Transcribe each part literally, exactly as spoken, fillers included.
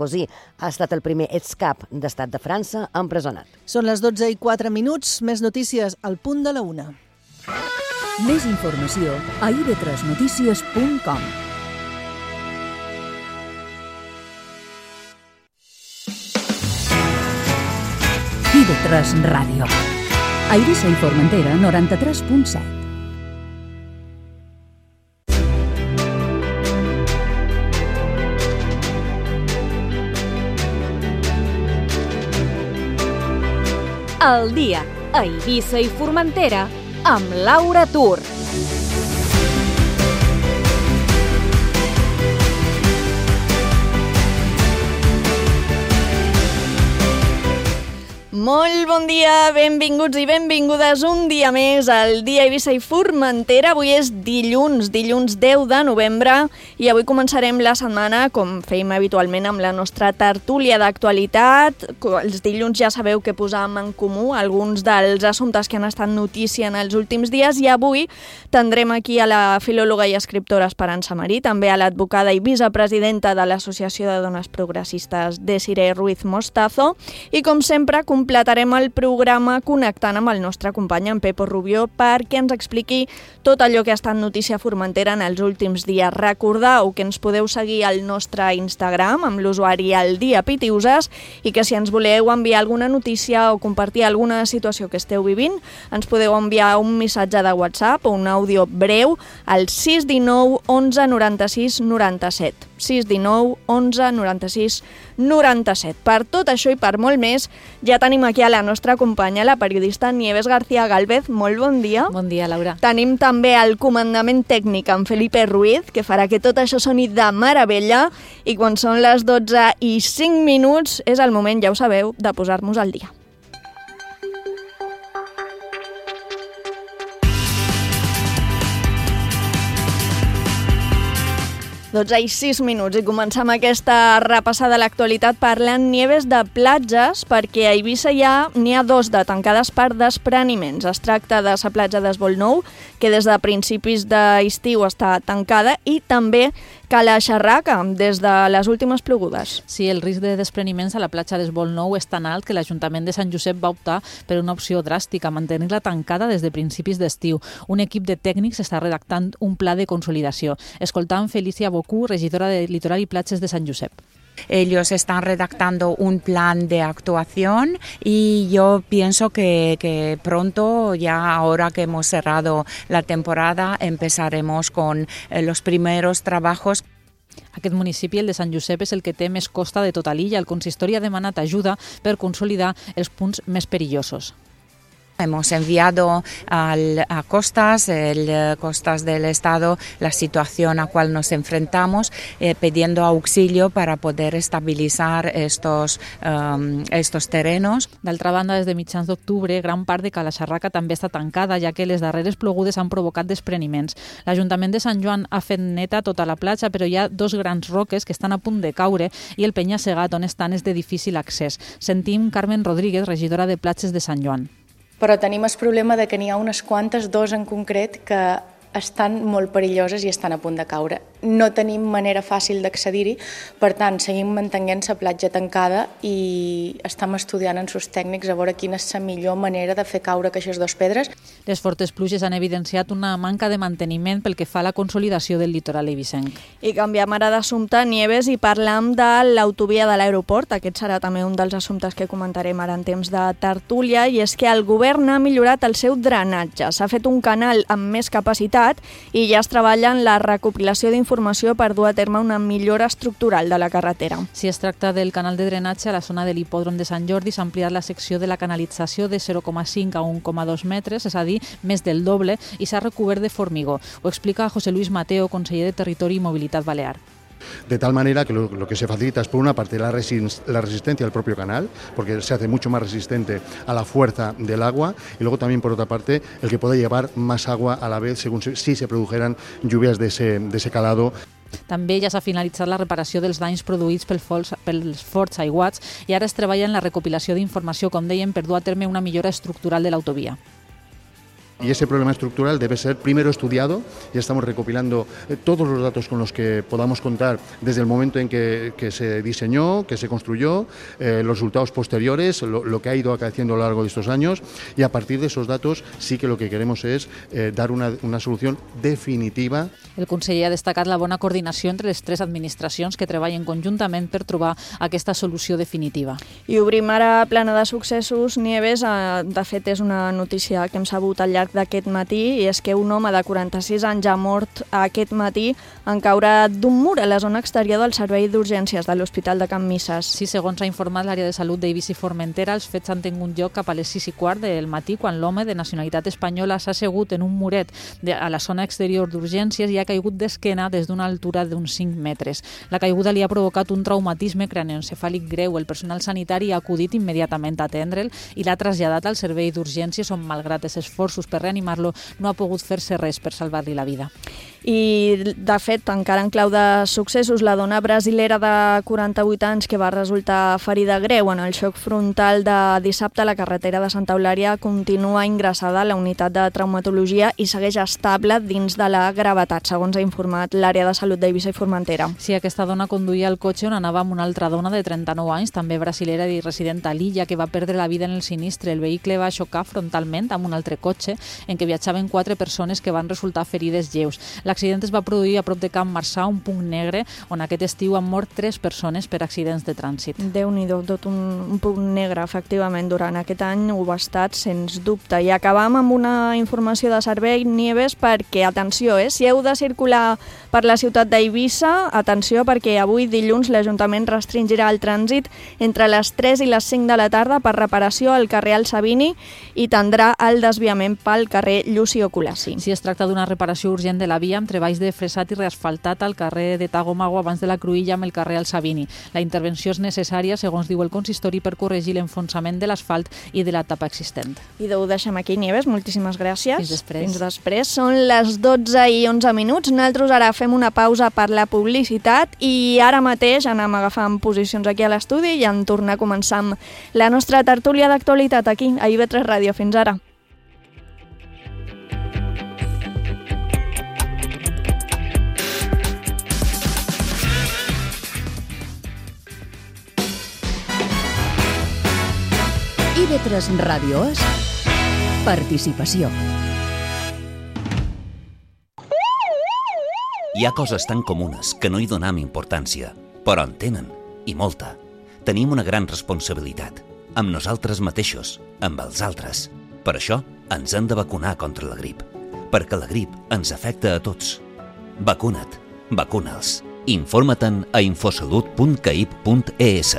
Sarkozy ha estat el primer excap d'estat de França empresonat. Són les dotze i quatre minuts, més notícies al punt de la una. Més informació a i ve tres notícies punt com. i ve tres Ràdio. A Eivissa i Formentera, noranta-tres punt set. El dia a Eivissa i Formentera amb Laura Tur. Molt bon dia, benvinguts i benvingudes un dia més al dia Eivissa i Formentera. Avui és dilluns, dilluns deu de novembre i avui començarem la setmana, com fèiem habitualment, amb la nostra tertúlia d'actualitat. Els dilluns ja sabeu que posàvem en comú alguns dels assumptes que han estat notícia en els últims dies i avui tindrem aquí a la filòloga i escriptora Esperança Marí, també a l'advocada i vicepresidenta de l'Associació de Dones Progressistes Desiree Ruiz Mostazo i, com sempre, completarem el programa connectant amb el nostre company en Pepo Rubió perquè ens expliqui tot allò que ha estat notícia a Formentera en els últims dies. Recordeu que ens podeu seguir al nostre Instagram amb l'usuari El Dia Pitiuses i que si ens voleu enviar alguna notícia o compartir alguna situació que esteu vivint, ens podeu enviar un missatge de WhatsApp o un àudio breu al sis un nou onze noranta-sis noranta-set. sis un nou onze noranta-sis noranta-set. Per tot això i per molt més, ja tenim aquí a la nostra companya, la periodista Nieves García Gálvez. Molt bon dia. Bon dia, Laura. Tenim també el comandament tècnic en Felipe Ruiz, que farà que tot això soni de meravella, i quan són les dotze i cinc minuts és el moment, ja ho sabeu, de posar-nos al dia. dotze i sis minuts i comencem aquesta repassada a l'actualitat parlant, Nieves, de platges, perquè a Eivissa ja n'hi ha dos de tancades per despreniments. Es tracta de la platja d'Esvolnou, que des de principis d'estiu està tancada, i també Cala Xarraca, des de les últimes plogudes. Sí, el risc de despreniments a la platja d'Esvolnou és tan alt que l'Ajuntament de Sant Josep va optar per una opció dràstica, mantenir-la tancada des de principis d'estiu. Un equip de tècnics està redactant un pla de consolidació. Escoltam Felicia Bocú, regidora de Litoral y Platges de San Josep. Ellos están redactando un plan de actuación y yo pienso que, que pronto, ya ahora que hemos cerrado la temporada, empezaremos con eh, los primeros trabajos. Aquest municipi, el de Sant Josep, és el que té més costa de tota l'illa. El consistori ha demanat ajuda per consolidar els punts més perillosos. Hemos enviado al, a Costas, el Costas del Estado, la situación a cual nos enfrentamos, eh, pidiendo auxilio para poder estabilizar estos, um, estos terrenos. D'altra banda, des de mitjans d'octubre, gran part de Cala Xarraca també està tancada, ja que les darreres plogudes han provocat despreniments. L'Ajuntament de Sant Joan ha fet neta tota la platja, però hi ha dos grans roques que estan a punt de caure i el penya-segat on estan és de difícil accés. Sentim Carmen Rodríguez, regidora de Platges de Sant Joan. Però tenim el problema de que n'hi ha unes quantes, dos en concret, que estan molt perilloses i estan a punt de caure. No tenim manera fàcil d'accedir-hi, per tant, seguim mantenint la platja tancada i estem estudiant en sus tècnics a veure quina és la millor manera de fer caure aquestes dues pedres. Les fortes pluges han evidenciat una manca de manteniment pel que fa a la consolidació del litoral eivissenc. I canviem ara d'assumpte, Nieves, i parlam de l'autovia de l'aeroport. Aquest serà també un dels assumptes que comentarem ara en temps de tertúlia, i és que el govern ha millorat el seu drenatge. S'ha fet un canal amb més capacitat i ja es treballa en la recopilació d'informació informació per dur a terme una millora estructural de la carretera. Si es tracta del canal de drenatge, a la zona de l'hipòdrom de Sant Jordi s'ha ampliat la secció de la canalització de zero coma cinc a un coma dos metres, és a dir, més del doble, i s'ha recobert de formigó. Ho explica José Luis Mateo, conseller de Territori i Mobilitat Balear. De tal manera que lo, lo que se facilita es, por una parte, la, resist la resistencia al propio canal, porque se hace mucho más resistente a la fuerza del agua, y luego también, por otra parte, el que pueda llevar más agua a la vez según se, si se produjeran lluvias de ese, de ese calado. També ja s'ha finalitzat la reparació dels danys produïts pel fals, pels forts aiguats i ara es treballa en la recopilació d'informació, com dèiem, per dur a terme una millora estructural de l'autovia. Y ese problema estructural debe ser primero estudiado. Ya estamos recopilando todos los datos con los que podamos contar desde el momento en que, que se diseñó, que se construyó, eh, los resultados posteriores, lo, lo que ha ido acaeciendo a lo largo de estos años, y a partir de esos datos sí que lo que queremos es eh, dar una, una solución definitiva. El conseller ha destacat la bona coordinació entre les tres administracions que treballen conjuntament per trobar aquesta solució definitiva. I obrim ara plana de successos. Nieves, eh, de fet és una notícia que hem sabut al llarg d'aquest matí, i és que un home de quaranta-sis anys ha mort aquest matí en caure d'un mur a la zona exterior del servei d'urgències de l'Hospital de Can Misses. Sí, segons ha informat l'àrea de salut d'Eivissa i Formentera, els fets han tingut lloc cap a les sis i quart del matí, quan l'home de nacionalitat espanyola s'ha assegut en un muret de, a la zona exterior d'urgències i ha caigut d'esquena des d'una altura d'uns cinc metres. La caiguda li ha provocat un traumatisme cranioencefàlic greu. El personal sanitari ha acudit immediatament a atendre'l i l'ha traslladat al servei d'urgències, on, malgrat els esforços per reanimar-lo, no ha pogut fer-se res per salvar-li la vida. I, de fet, encara en clau de successos, la dona brasilera de quaranta-vuit anys que va resultar ferida greu en el xoc frontal de dissabte a la carretera de Santa Eulària continua ingressada a la unitat de traumatologia i segueix estable dins de la gravetat, segons ha informat l'àrea de salut d'Eivissa i Formentera. Sí, aquesta dona conduïa el cotxe on anava amb una altra dona de trenta-nou anys, també brasilera i resident a l'illa, que va perdre la vida en el sinistre. El vehicle va xocar frontalment amb un altre cotxe en què viatjaven quatre persones que van resultar ferides lleus. L'accident es va produir a prop de Camp Marçà, un punt negre, on aquest estiu han mort tres persones per accidents de trànsit. Déu-n'hi-do, tot un, un punt negre, efectivament, durant aquest any ho ha estat, sens dubte. I acabam amb una informació de servei, Nieves, perquè, atenció, eh, si heu de circular per la ciutat d'Eivissa, atenció, perquè avui, dilluns, l'Ajuntament restringirà el trànsit entre les tres i les cinc de la tarda per reparació al carrer El Sabini i tindrà el desviament pel carrer Llucio Colassi. Si es tracta d'una reparació urgent de la via amb treballs de fresat i reasfaltat al carrer de Tagomago abans de la Cruïlla amb el carrer El Sabini. La intervenció és necessària, segons diu el consistori, per corregir l'enfonsament de l'asfalt i de la tapa existent. I ho deixem aquí, Nieves. Moltíssimes gràcies. Fins després. Fins després. Són les dotze i onze minuts. Nosaltres ara fem una pausa per la publicitat i ara mateix anem agafant posicions aquí a l'estudi i en tornar a començar amb la nostra tertúlia d'actualitat aquí, a I V tres Ràdio. Fins ara. I V tres Ràdio és participació. Hi ha coses tan comunes que no hi donam importància, però en tenen, i molta. Tenim una gran responsabilitat, amb nosaltres mateixos, amb els altres. Per això ens hem de vacunar contra la grip, perquè la grip ens afecta a tots. Vacuna't, vacuna'ls. Informa-te'n a infosalut punt caip punt es.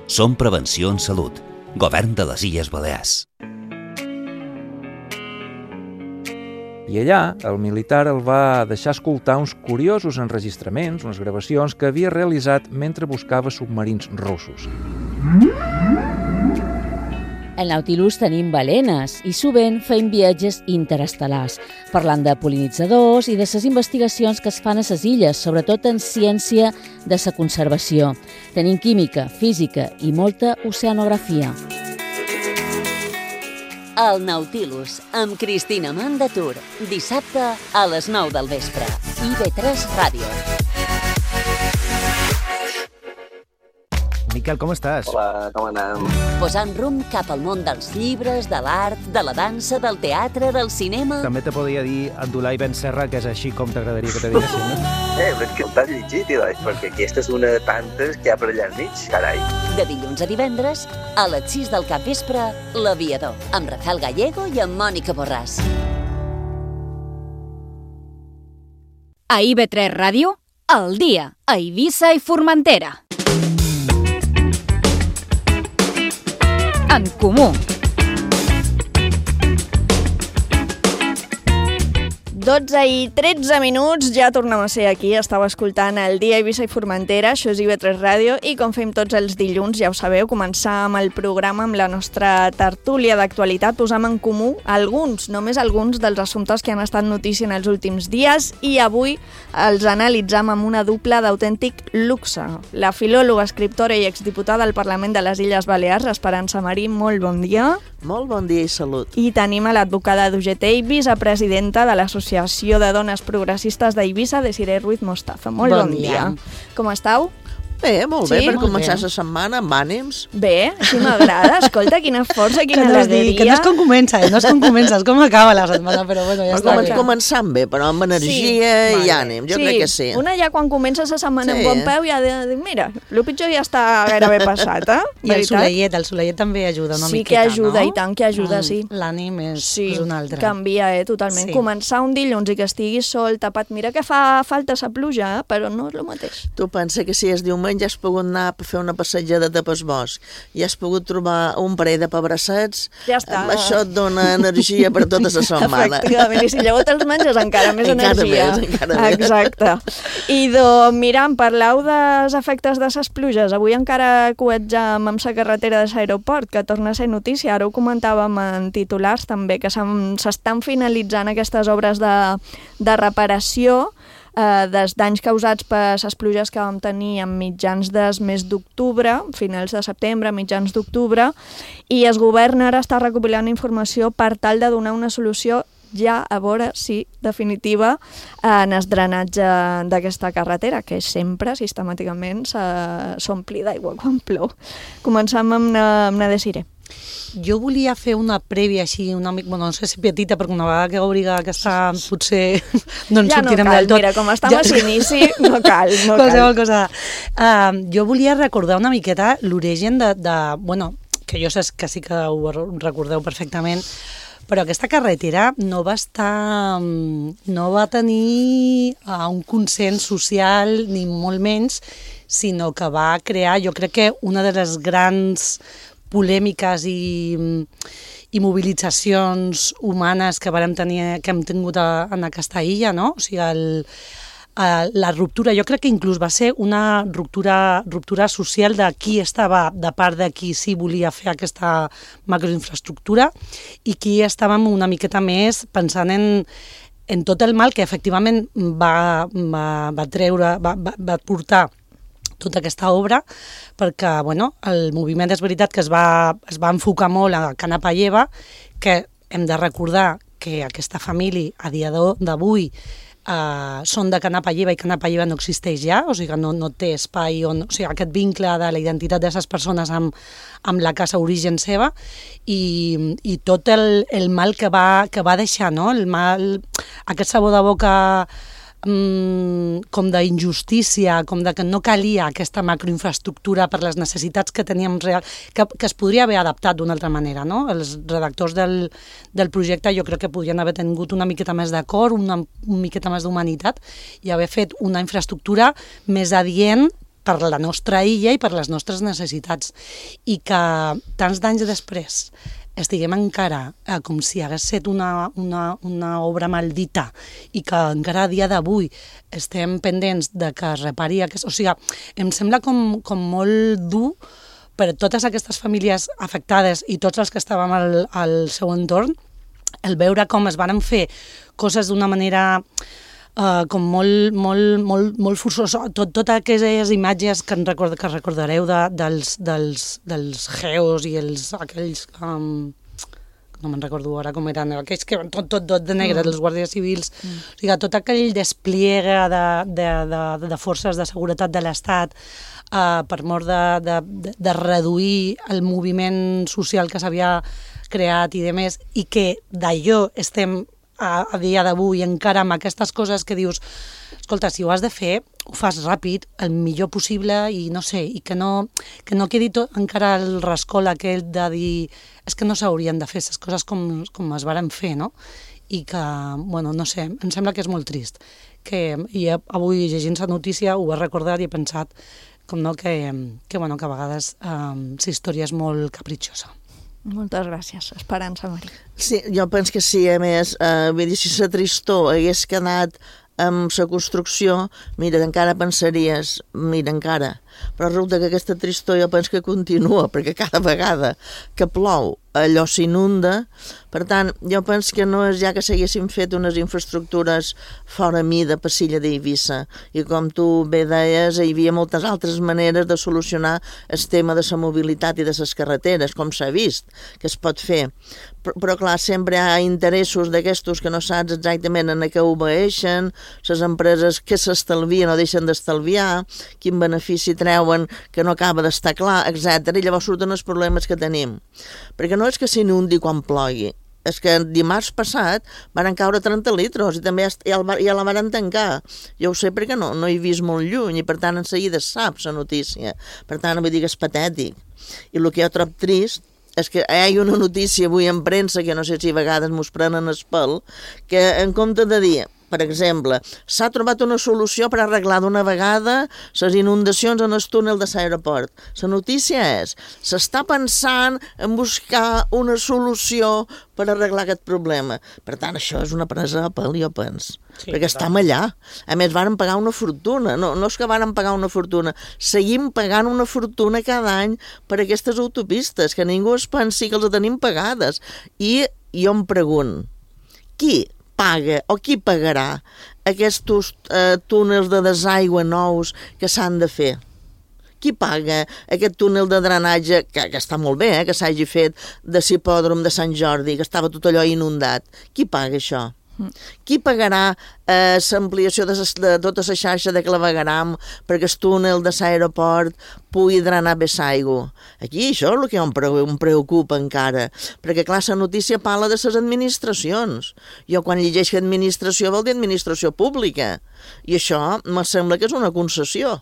Som Prevenció en Salut, Govern de les Illes Balears. I allà, el militar el va deixar escoltar uns curiosos enregistraments, unes gravacions que havia realitzat mentre buscava submarins russos. Al Nautilus tenim balenes i sovint fem viatges interestel·lars, parlant de pol·linitzadors i de les investigacions que es fan a les illes, sobretot en ciència de la conservació. Tenim química, física i molta oceanografia. El Nautilus, amb Cristina Mandatur, dissabte a les nou del vespre. I V tres Ràdio. Miquel, com estàs? Hola, com anem? Posant rumb cap al món dels llibres, de l'art, de la dansa, del teatre, del cinema... També te podria dir Abdulai Ben Serra, que és així com t'agradaria que te diguessin, no? Eh, però és que t'has llegit, Ilai, perquè aquesta és una de tantes que hi ha per allà al mig, carai. De dilluns a divendres, a les sis del capvespre, L'Aviador, amb Rafael Gallego i amb Mònica Borràs. A I V tres Ràdio, al dia, a Eivissa i Formentera. En comú. dotze i tretze minuts, ja tornem a ser aquí. Estava escoltant el dia Eivissa i Formentera, això és I V tres Ràdio, i com fem tots els dilluns, ja ho sabeu, començar amb el programa, amb la nostra tertúlia d'actualitat, posam en comú alguns, només alguns dels assumptes que han estat notícia en els últims dies, i avui els analitzam amb una dupla d'autèntic luxe. La filòloga, escriptora i exdiputada al Parlament de les Illes Balears, Esperança Marí, molt bon dia. Molt bon dia i salut. I tenim a l'advocada d'U G T i vicepresidenta de l'Associació de Dones Progressistes d'Eivissa, Desiree Ruiz Mostaza. Molt bon, bon dia. dia. Com esteu? Bé, molt bé, Sí? per Molt començar bé. la setmana amb ànims. Bé, així m'agrada. Escolta, quina força, quina Que no, es digui, alegria. que no és com comença, eh? no és com comença, és com acaba la setmana, però bueno, ja Però està com, bé. començant bé, però amb energia Sí. i ànim, jo sí, crec que sí. Una ja quan comença la setmana Sí. amb bon peu ja ha de dir, mira, el pitjor ja està gairebé passat, eh? I el soleiet, el soleiet també ajuda una sí miqueta, que ajuda, no? i tant que ajuda, Mm, sí. L'ànim és, Sí, és un altre. canvia, eh, totalment. Sí. Començar un dilluns i que estigui sol, tapat, mira que fa falta la pluja, eh? Però no és el mateix. Tu pensa que si és diumenge has pogut anar a fer una passejada de pel bosc i has pogut trobar un parell de pebrassets, Ja està. amb això et dona energia per tota la setmana. Efectivament, i si llavors te'ls menges encara més Encara energia. més, encara més. Exacte. I doncs, mira, em parleu dels efectes de les pluges. Avui encara coetjam amb la carretera de l'aeroport, que torna a ser notícia. Ara ho comentàvem en titulars també, que s'estan finalitzant aquestes obres de, de reparació eh, dels danys causats per les pluges que vam tenir en mitjans del mes d'octubre, finals de setembre, mitjans d'octubre, i el govern ara està recopilant informació per tal de donar una solució ja a veure si definitiva en el drenatge d'aquesta carretera, que sempre sistemàticament s'ompli d'aigua quan plou. Començam amb una, amb una Desiree. Jo volia fer una prèvia així, una mica, bueno, no sé si petita, perquè una vegada que obriga aquesta potser no ens Ja no sortirem cal, del tot. mira, com estem a l'inici, no cal, no Qualsevol cal. cosa. Uh, jo volia recordar una miqueta l'origen de, de, bueno, que jo sé que sí que ho recordeu perfectament, però aquesta carretera no va estar, no va tenir uh, un consens social, ni molt menys, sinó que va crear, jo crec que una de les grans polèmiques i, i mobilitzacions humanes que vàrem tenir, que hem tingut a, en aquesta illa, no? O sigui, el, a, la ruptura, jo crec que inclús va ser una ruptura, ruptura social de qui estava de part de qui sí volia fer aquesta macroinfraestructura i qui estàvem una miqueta més pensant en, en tot el mal que efectivament va, va, va treure, va, va, va portar tota aquesta obra, perquè bueno, el moviment és veritat que es va, es va enfocar molt a Cana Palleva, que hem de recordar que aquesta família a dia d'avui eh, són de Cana Palleva i Cana Palleva no existeix ja, o sigui que no, no té espai on, o sigui, aquest vincle de la identitat d'aquestes persones amb, amb la casa origen seva i, i tot el, el mal que va, que va deixar, no? El mal, aquest sabor de boca com d'injustícia, com de que no calia aquesta macroinfraestructura per les necessitats que teníem real, que, que es podria haver adaptat d'una altra manera, no? Els redactors del, del projecte jo crec que podrien haver tingut una miqueta més d'acord, una, una miqueta més d'humanitat i haver fet una infraestructura més adient per la nostra illa i per les nostres necessitats. I que tants d'anys després estiguem encara eh, com si hagués estat una, una, una obra maldita i que encara a dia d'avui estem pendents de que es repari aquest... O sigui, em sembla com, com molt dur per a totes aquestes famílies afectades i tots els que estàvem al, al seu entorn, el veure com es van fer coses d'una manera Uh, com molt, molt, molt, molt forçosa, tot, totes aquelles imatges que, record, que recordareu de, dels, dels, dels geos i els, aquells, um, no me'n recordo ara com eren, aquells que van tot, tot, tot de negre, mm. dels guàrdies civils, mm. o sigui, tot aquell despliegue de, de, de, de forces de seguretat de l'Estat uh, per mort de, de, de, de reduir el moviment social que s'havia creat i demés, i que d'allò estem a, a dia d'avui encara amb aquestes coses que dius, escolta, si ho has de fer, ho fas ràpid, el millor possible i no sé, i que no, que no quedi tot, encara el rascol aquell de dir és que no s'haurien de fer les coses com, com es varen fer, no? I que, bueno, no sé, em sembla que és molt trist. Que, i avui llegint la notícia ho he recordat i he pensat com no, que, que, bueno, que a vegades um, la història és molt capritxosa. Moltes gràcies, Esperança Marí. Sí, jo penso que sí, a més, eh, vull dir, si la tristor hagués quedat amb la construcció, mira, encara pensaries, mira, encara, però resulta que aquesta tristor jo penso que continua, perquè cada vegada que plou allò s'inunda. Per tant, jo penso que no és ja que s'haguessin fet unes infraestructures fora mida per l'illa d'Eivissa, i com tu bé deies, hi havia moltes altres maneres de solucionar el tema de la mobilitat i de les carreteres, com s'ha vist, que es pot fer. Però, però clar, sempre hi ha interessos d'aquestos que no saps exactament en què obeeixen, les empreses que s'estalvien o deixen d'estalviar, quin benefici treuen que no acaba d'estar clar, etcètera. I llavors surten els problemes que tenim. Perquè no és que s'inundi quan plogui, és que dimarts passat van caure trenta litros i també ja la van tancar. Jo ho sé perquè no, no he vist molt lluny i per tant en seguida saps la notícia. Per tant, vull dir que és patètic. I el que jo trobo trist és que hi ha una notícia avui en premsa, que no sé si a vegades mos prenen el pèl, que en compte de dir, per exemple, s'ha trobat una solució per arreglar d'una vegada les inundacions en el túnel de l'aeroport. La notícia és, s'està pensant en buscar una solució per arreglar aquest problema. Per tant, això és una presa de pèl, jo penso. Sí, perquè estem allà. A més, varen pagar una fortuna. No, no és que varen pagar una fortuna. Seguim pagant una fortuna cada any per aquestes autopistes, que ningú es pensi que els tenim pagades. I jo em pregunto, qui paga o qui pagarà aquests eh, túnels de desaigua nous que s'han de fer? Qui paga aquest túnel de drenatge, que, que està molt bé, eh, que s'hagi fet de l'hipòdrom de Sant Jordi, que estava tot allò inundat? Qui paga això? Mm. Qui pagarà eh, l'ampliació de, de tota la xarxa de clavegueram perquè el túnel de l'aeroport pugui drenar bé l'aigua? Aquí això és el que em preocupa encara, perquè clar, la notícia parla de les administracions. Jo quan llegeixo administració vol dir administració pública, i això me sembla que és una concessió.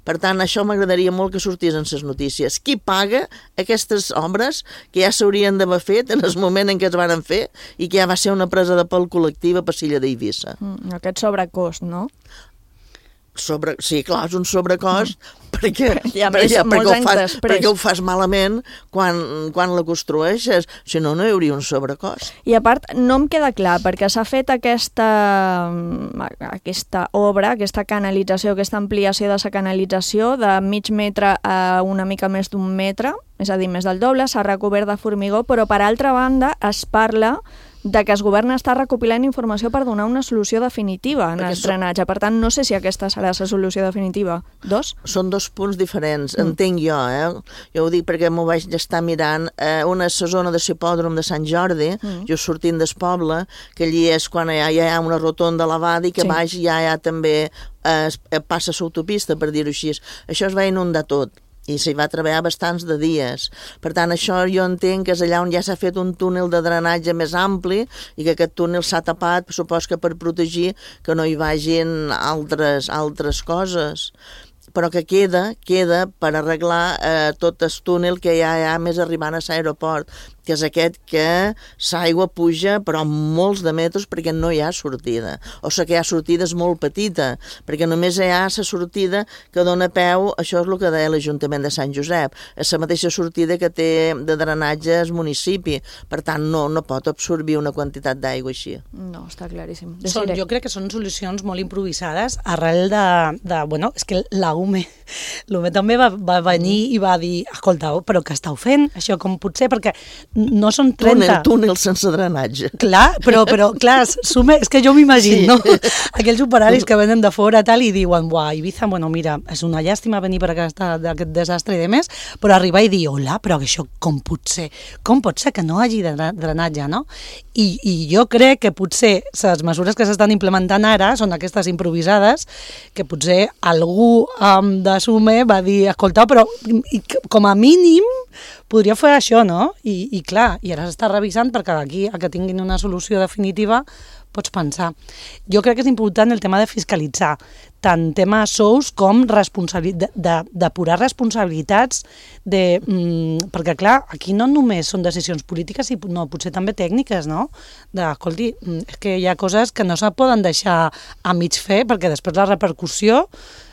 Per tant, això m'agradaria molt que sortís en les notícies. Qui paga aquestes obres que ja s'haurien d'haver fet en el moment en què es van fer i que ja va ser una presa de pèl col·lectiva per l'illa d'Eivissa? Mm, aquest sobrecost, no? Sobre, sí, clar, és un sobrecost mm. perquè, I a més, perquè, perquè, ho fas, després. perquè ho fas malament quan, quan la construeixes, si no, no hi hauria un sobrecost. I a part, no em queda clar, perquè s'ha fet aquesta, aquesta obra, aquesta canalització, aquesta ampliació de la canalització de mig metre a una mica més d'un metre, és a dir, més del doble, s'ha recobert de formigó, però per altra banda es parla de que el govern està recopilant informació per donar una solució definitiva en el drenatge. Per tant, no sé si aquesta serà la solució definitiva. Dos? Són dos punts diferents, mm. entenc jo, eh? Jo ho dic perquè m'ho vaig estar mirant. Eh, una és la zona de l'hipòdrom de Sant Jordi, mm. jo sortint del poble, que allí és quan ja hi ha una rotonda elevada i que sí. baix ja hi ha també eh, passa l'autopista, per dir-ho així. Això es va inundar tot. I s'hi va treballar bastants de dies. Per tant, això jo entenc que és allà on ja s'ha fet un túnel de drenatge més ampli i que aquest túnel s'ha tapat, supos que per protegir que no hi vagin altres, altres coses. Però que queda, queda per arreglar eh, tot el túnel que ja hi ha més arribant a l'aeroport, que és aquest que l'aigua puja però molts de metres perquè no hi ha sortida. O sigui que hi ha sortida és molt petita, perquè només hi ha la sortida que dona peu, això és el que deia l'Ajuntament de Sant Josep, és la mateixa sortida que té de drenatge el municipi, per tant no, no pot absorbir una quantitat d'aigua així. No, està claríssim. Són, jo crec que són solucions molt improvisades arrel de, de bueno, és que la U M E, l'U M E també va, va venir i va dir, escolta, però què estàu fent? Això com pot ser? Perquè no són trenta... Túnel, túnel sense drenatge. Clar, però, però clar, sume, és que jo m'imagino, sí. no? Aquells operaris que venen de fora tal i diuen, buah, Ibiza, bueno, mira, és una llàstima venir per aquesta, aquest desastre i de més, però arribar i dir, hola, però això com pot ser? Com pot ser que no hagi de drenatge, no? I, i jo crec que potser les mesures que s'estan implementant ara són aquestes improvisades, que potser algú um, de Sume va dir, escolta, però i, com a mínim podria fer això, no? I, i clar, i ara s'està revisant perquè d'aquí a que tinguin una solució definitiva pots pensar. Jo crec que és important el tema de fiscalitzar, tant tema sous com responsabilitat, de, depurar responsabilitats, de, mm, perquè clar, aquí no només són decisions polítiques, i no, potser també tècniques, no? De, escolti, és que hi ha coses que no se poden deixar a mig fer, perquè després la repercussió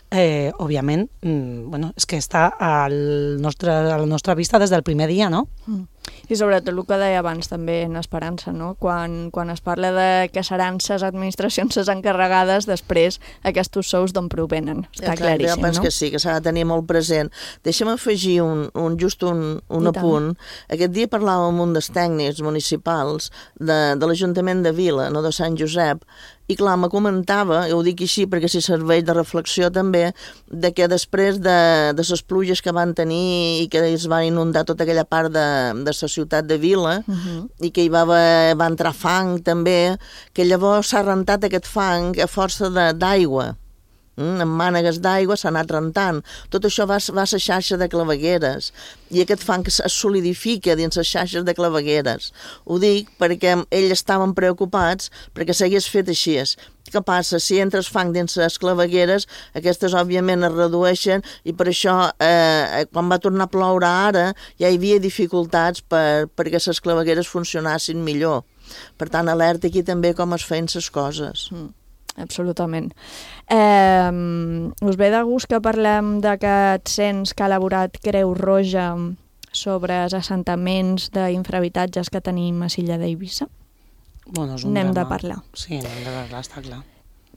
Eh, òbviament, mm, bueno, és que està al nostre, a la nostra vista des del primer dia, no? Mm. I sobretot el que deia abans també en Esperança, no? Quan, quan es parla de que seran ses administracions ses encarregades, després aquests sous d'on provenen. Està ja, clar, claríssim, jo penso no? que sí, que s'ha de tenir molt present. Deixa'm afegir un, un, just un, un apunt. Aquest dia parlàvem amb un dels tècnics municipals de, de l'Ajuntament de Vila, no de Sant Josep, i clar, me comentava, ho dic així perquè si serveix de reflexió també, de que després de, de les pluges que van tenir i que es va inundar tota aquella part de, de la ciutat de Vila, uh-huh. i que hi va, haver, va entrar fang també, que llavors s'ha rentat aquest fang a força d'aigua. Mm, amb mànegues d'aigua s'ha anat rentant. Tot això va, va a la xarxa de clavegueres i aquest fang es solidifica dins les xarxes de clavegueres. Ho dic perquè ells estaven preocupats perquè s'hagués fet així. Què passa? Si entres fang dins les clavegueres, aquestes òbviament es redueixen i per això eh, quan va tornar a ploure ara ja hi havia dificultats per, perquè les clavegueres funcionassin millor. Per tant, alerta aquí també com es feien les coses. Mm. Absolutament. Eh, us ve de gust que parlem d'aquest cens que ha elaborat Creu Roja sobre els assentaments d'infrahabitatges que tenim a l'illa d'Eivissa? Bueno, és un N'hem drama. de parlar. Sí, n'hem de parlar, està clar.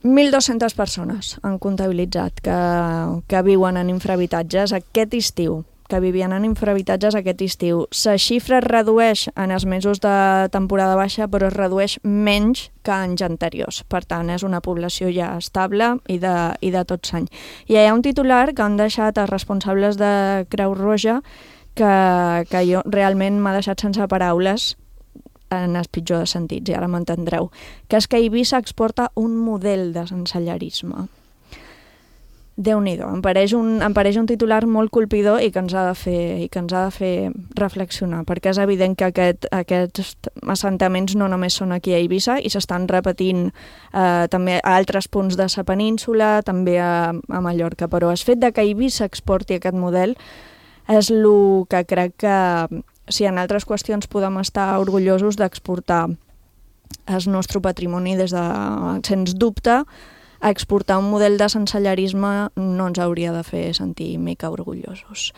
mil dues-centes persones han comptabilitzat que, que viuen en infrahabitatges aquest estiu, que vivien en infrahabitatges aquest estiu. La xifra es redueix en els mesos de temporada baixa, però es redueix menys que anys anteriors. Per tant, és una població ja estable i de, i de tot l'any. I hi ha un titular que han deixat els responsables de Creu Roja que, que jo realment m'ha deixat sense paraules en el pitjor de sentits, i ara m'entendreu, que és que Eivissa exporta un model de sensellarisme. Déu-n'hi-do, em pareix un, em pareix un titular molt colpidor i que ens ha de fer, i que ens ha de fer reflexionar, perquè és evident que aquest, aquests assentaments no només són aquí a Eivissa i s'estan repetint eh, també a altres punts de la península, també a, a Mallorca, però el fet de que Eivissa exporti aquest model és el que crec que, si en altres qüestions podem estar orgullosos d'exportar el nostre patrimoni des de, sens dubte, a exportar un model de sensellarisme no ens hauria de fer sentir mica orgullosos.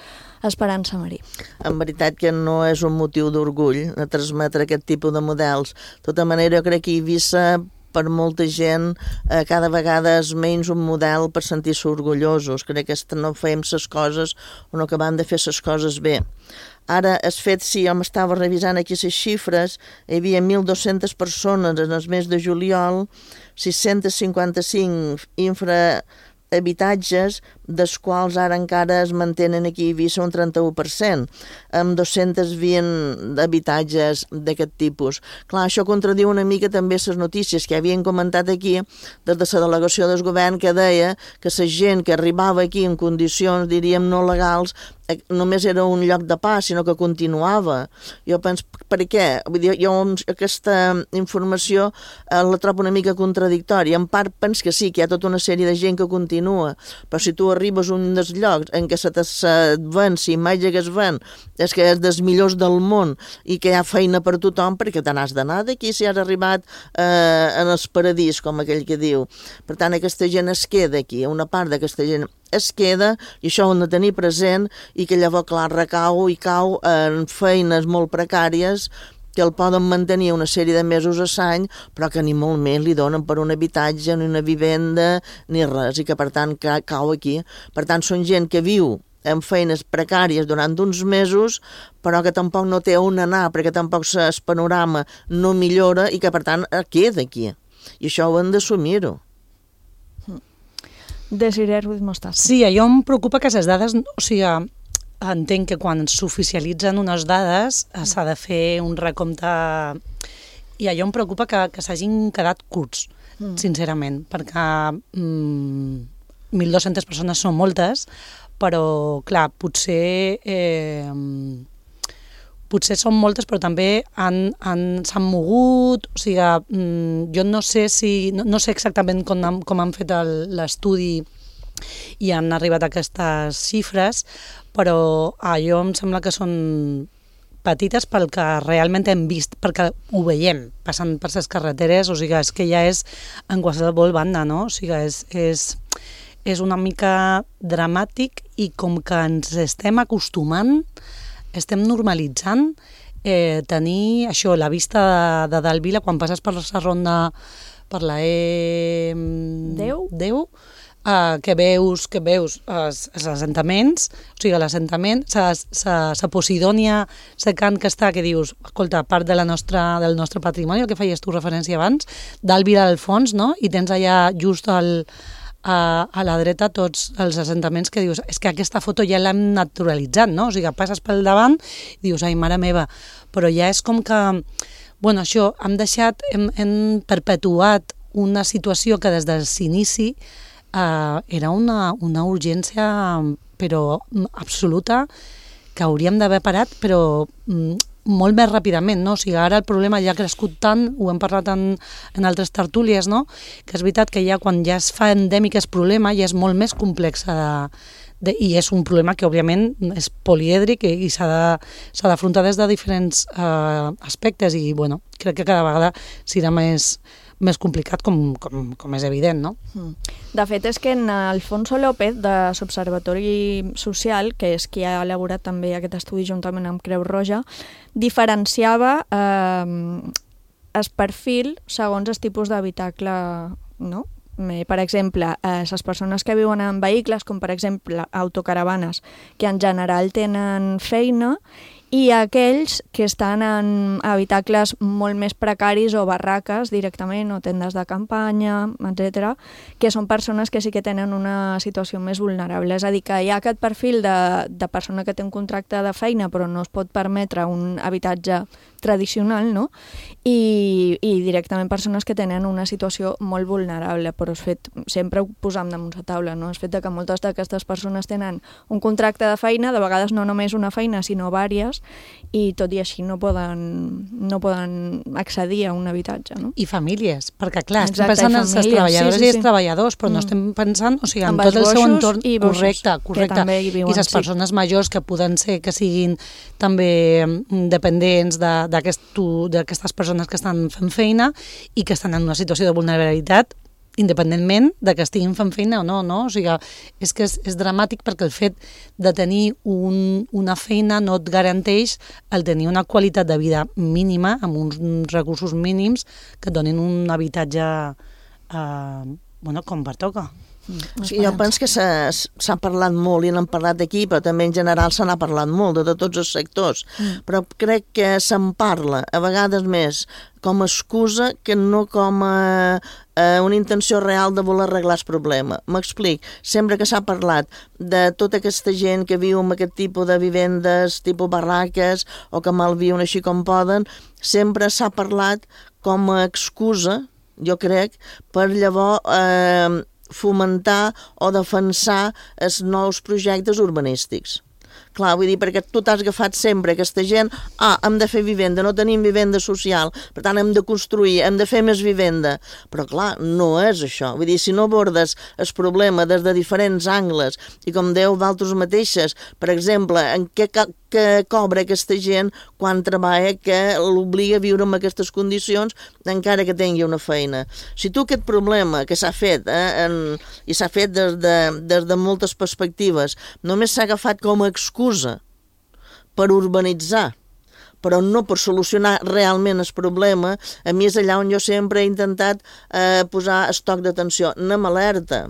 Esperança Marí. En veritat que no és un motiu d'orgull de transmetre aquest tipus de models. De tota manera, jo crec que Eivissa, per molta gent, eh, cada vegada és menys un model per sentir-se orgullosos. Crec que no fem les coses o no acabem de fer les coses bé. Ara, el fet, si jo m'estava revisant aquí les xifres, hi havia mil dues-centes persones en el mes de juliol, sis-cents cinquanta-cinc infrahabitatges, dels quals ara encara es mantenen aquí a Eivissa un trenta-u per cent, amb dos-cents vint habitatges d'aquest tipus. Clar, això contradiu una mica també les notícies que havien comentat aquí des de la delegació del govern, que deia que la gent que arribava aquí en condicions, diríem, no legals, només era un lloc de pas, sinó que continuava. Jo penso, per què? Vull dir, jo aquesta informació eh, la trobo una mica contradictòria. En part penso que sí, que hi ha tota una sèrie de gent que continua, però si tu arribes a un dels llocs en què se et ven, si imatge que es ven, és que és dels millors del món i que hi ha feina per tothom, perquè te n'has d'anar d'aquí si has arribat eh, en el paradís, com aquell que diu. Per tant, aquesta gent es queda aquí, una part d'aquesta gent es queda, i això ho hem de tenir present, i que llavors, clar, recau i cau en feines molt precàries que el poden mantenir una sèrie de mesos a l'any, però que ni molt més li donen per un habitatge, ni una vivenda, ni res, i que per tant cau aquí. Per tant, són gent que viu en feines precàries durant uns mesos, però que tampoc no té on anar, perquè tampoc el panorama no millora i que per tant queda aquí. I això ho hem d'assumir-ho. Desiree Ruiz Mostaza. Sí, allò em preocupa que les dades, o sigui, entenc que quan s'oficialitzen unes dades s'ha de fer un recompte, i allò em preocupa que, que s'hagin quedat curts, mm. sincerament, perquè mm, mil dues-centes persones són moltes, però, clar, potser... Eh, potser són moltes, però també han, han, s'han mogut, o sigui, mm, jo no sé si, no, no sé exactament com han, com han fet l'estudi i han arribat a aquestes xifres, però allò em sembla que són petites pel que realment hem vist, perquè ho veiem passant per les carreteres, o sigui, és que ja és en qualsevol banda, no? O sigui, és, és, és una mica dramàtic i com que ens estem acostumant, estem normalitzant eh, tenir això, la vista de, de dalt Vila, quan passes per la ronda, per la E... deu? deu, Uh, que veus, que veus els, els assentaments, o sigui, l'assentament, la Posidònia secant que està, que dius, escolta, part de la nostra, del nostre patrimoni, el que feies tu referència abans, d'Alvira al fons, no? I tens allà just al, a, a la dreta tots els assentaments que dius, és que aquesta foto ja l'hem naturalitzat, no? O sigui, passes pel davant i dius, ai, mare meva, però ja és com que, bueno, això, hem deixat, hem, hem perpetuat una situació que des del inici Uh, era una, una urgència però absoluta que hauríem d'haver parat però mm, molt més ràpidament, no? O sigui, ara el problema ja ha crescut tant, ho hem parlat en, en altres tertúlies, no? Que és veritat que ja quan ja es fa endèmic el problema ja és molt més complex de, de, i és un problema que òbviament és polièdric i, i s'ha d'afrontar de, des de diferents uh, aspectes i bueno, crec que cada vegada serà més més complicat, com, com, com és evident, no? De fet, és que en Alfonso López, de l'Observatori Social, que és qui ha elaborat també aquest estudi juntament amb Creu Roja, diferenciava eh, el perfil segons el tipus d'habitacle, no? Per exemple, eh, les persones que viuen en vehicles, com per exemple autocaravanes, que en general tenen feina, i aquells que estan en habitacles molt més precaris o barraques directament, o tendes de campanya, etcètera, que són persones que sí que tenen una situació més vulnerable. És a dir, que hi ha aquest perfil de, de persona que té un contracte de feina però no es pot permetre un habitatge tradicional, no? I, i directament persones que tenen una situació molt vulnerable, però és fet, sempre ho posam damunt la taula, no? És fet que moltes d'aquestes persones tenen un contracte de feina, de vegades no només una feina, sinó vàries, i tot i així no poden, no poden accedir a un habitatge, no? I famílies, perquè clar, estem Exacte, pensant en les treballadores sí, sí, sí. i els treballadors, però mm. no estem pensant, o sigui, en, en tot el seu entorn i correcte, correcte. Viuen, i les sí. persones majors que poden ser, que siguin també dependents de, d'aquestes persones que estan fent feina i que estan en una situació de vulnerabilitat independentment de que estiguin fent feina o no, no? O sigui, és que és, és dramàtic perquè el fet de tenir un, una feina no et garanteix el tenir una qualitat de vida mínima, amb uns recursos mínims que et donin un habitatge eh, bueno, com pertoca. Mm. Sí, jo penso que s'ha parlat molt i n'hem parlat aquí, però també en general se n'ha parlat molt de, de tots els sectors, mm. però crec que se'n parla a vegades més com a excusa que no com a, a una intenció real de voler arreglar el problema. M'explic, sempre que s'ha parlat de tota aquesta gent que viu en aquest tipus de vivendes, tipus barraques, o que malviuen així com poden, sempre s'ha parlat com a excusa, jo crec, per llavors eh, fomentar o defensar els nous projectes urbanístics. Clar, vull dir, perquè tu t'has agafat sempre aquesta gent, ah, hem de fer vivenda, no tenim vivenda social, per tant hem de construir, hem de fer més vivenda. Però clar, no és això. Vull dir, si no abordes el problema des de diferents angles, i com dèieu d'altres mateixes, per exemple, en què, què cobra aquesta gent quan treballa que l'obliga a viure en aquestes condicions encara que tingui una feina. Si tu aquest problema que s'ha fet, eh, en, i s'ha fet des de, des de moltes perspectives, només s'ha agafat com a excusa per urbanitzar, però no per solucionar realment el problema, a mi és allà on jo sempre he intentat eh, posar estoc d'atenció. Anem alerta,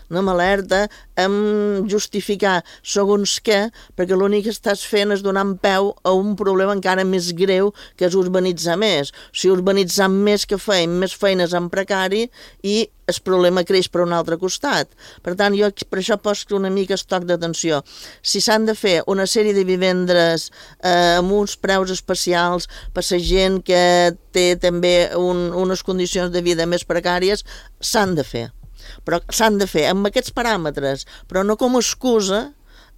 anem alerta, hem justificar segons què, perquè l'únic que estàs fent és donar peu a un problema encara més greu, que és urbanitzar més. Si urbanitzar més que feim, més feines en precari, i el problema creix per un altre costat. Per tant, jo per això poso una mica estoc d'atenció. Si s'han de fer una sèrie de vivendes eh, amb uns preus especials per la gent que té també un, unes condicions de vida més precàries, s'han de fer. Però s'han de fer amb aquests paràmetres, però no com a excusa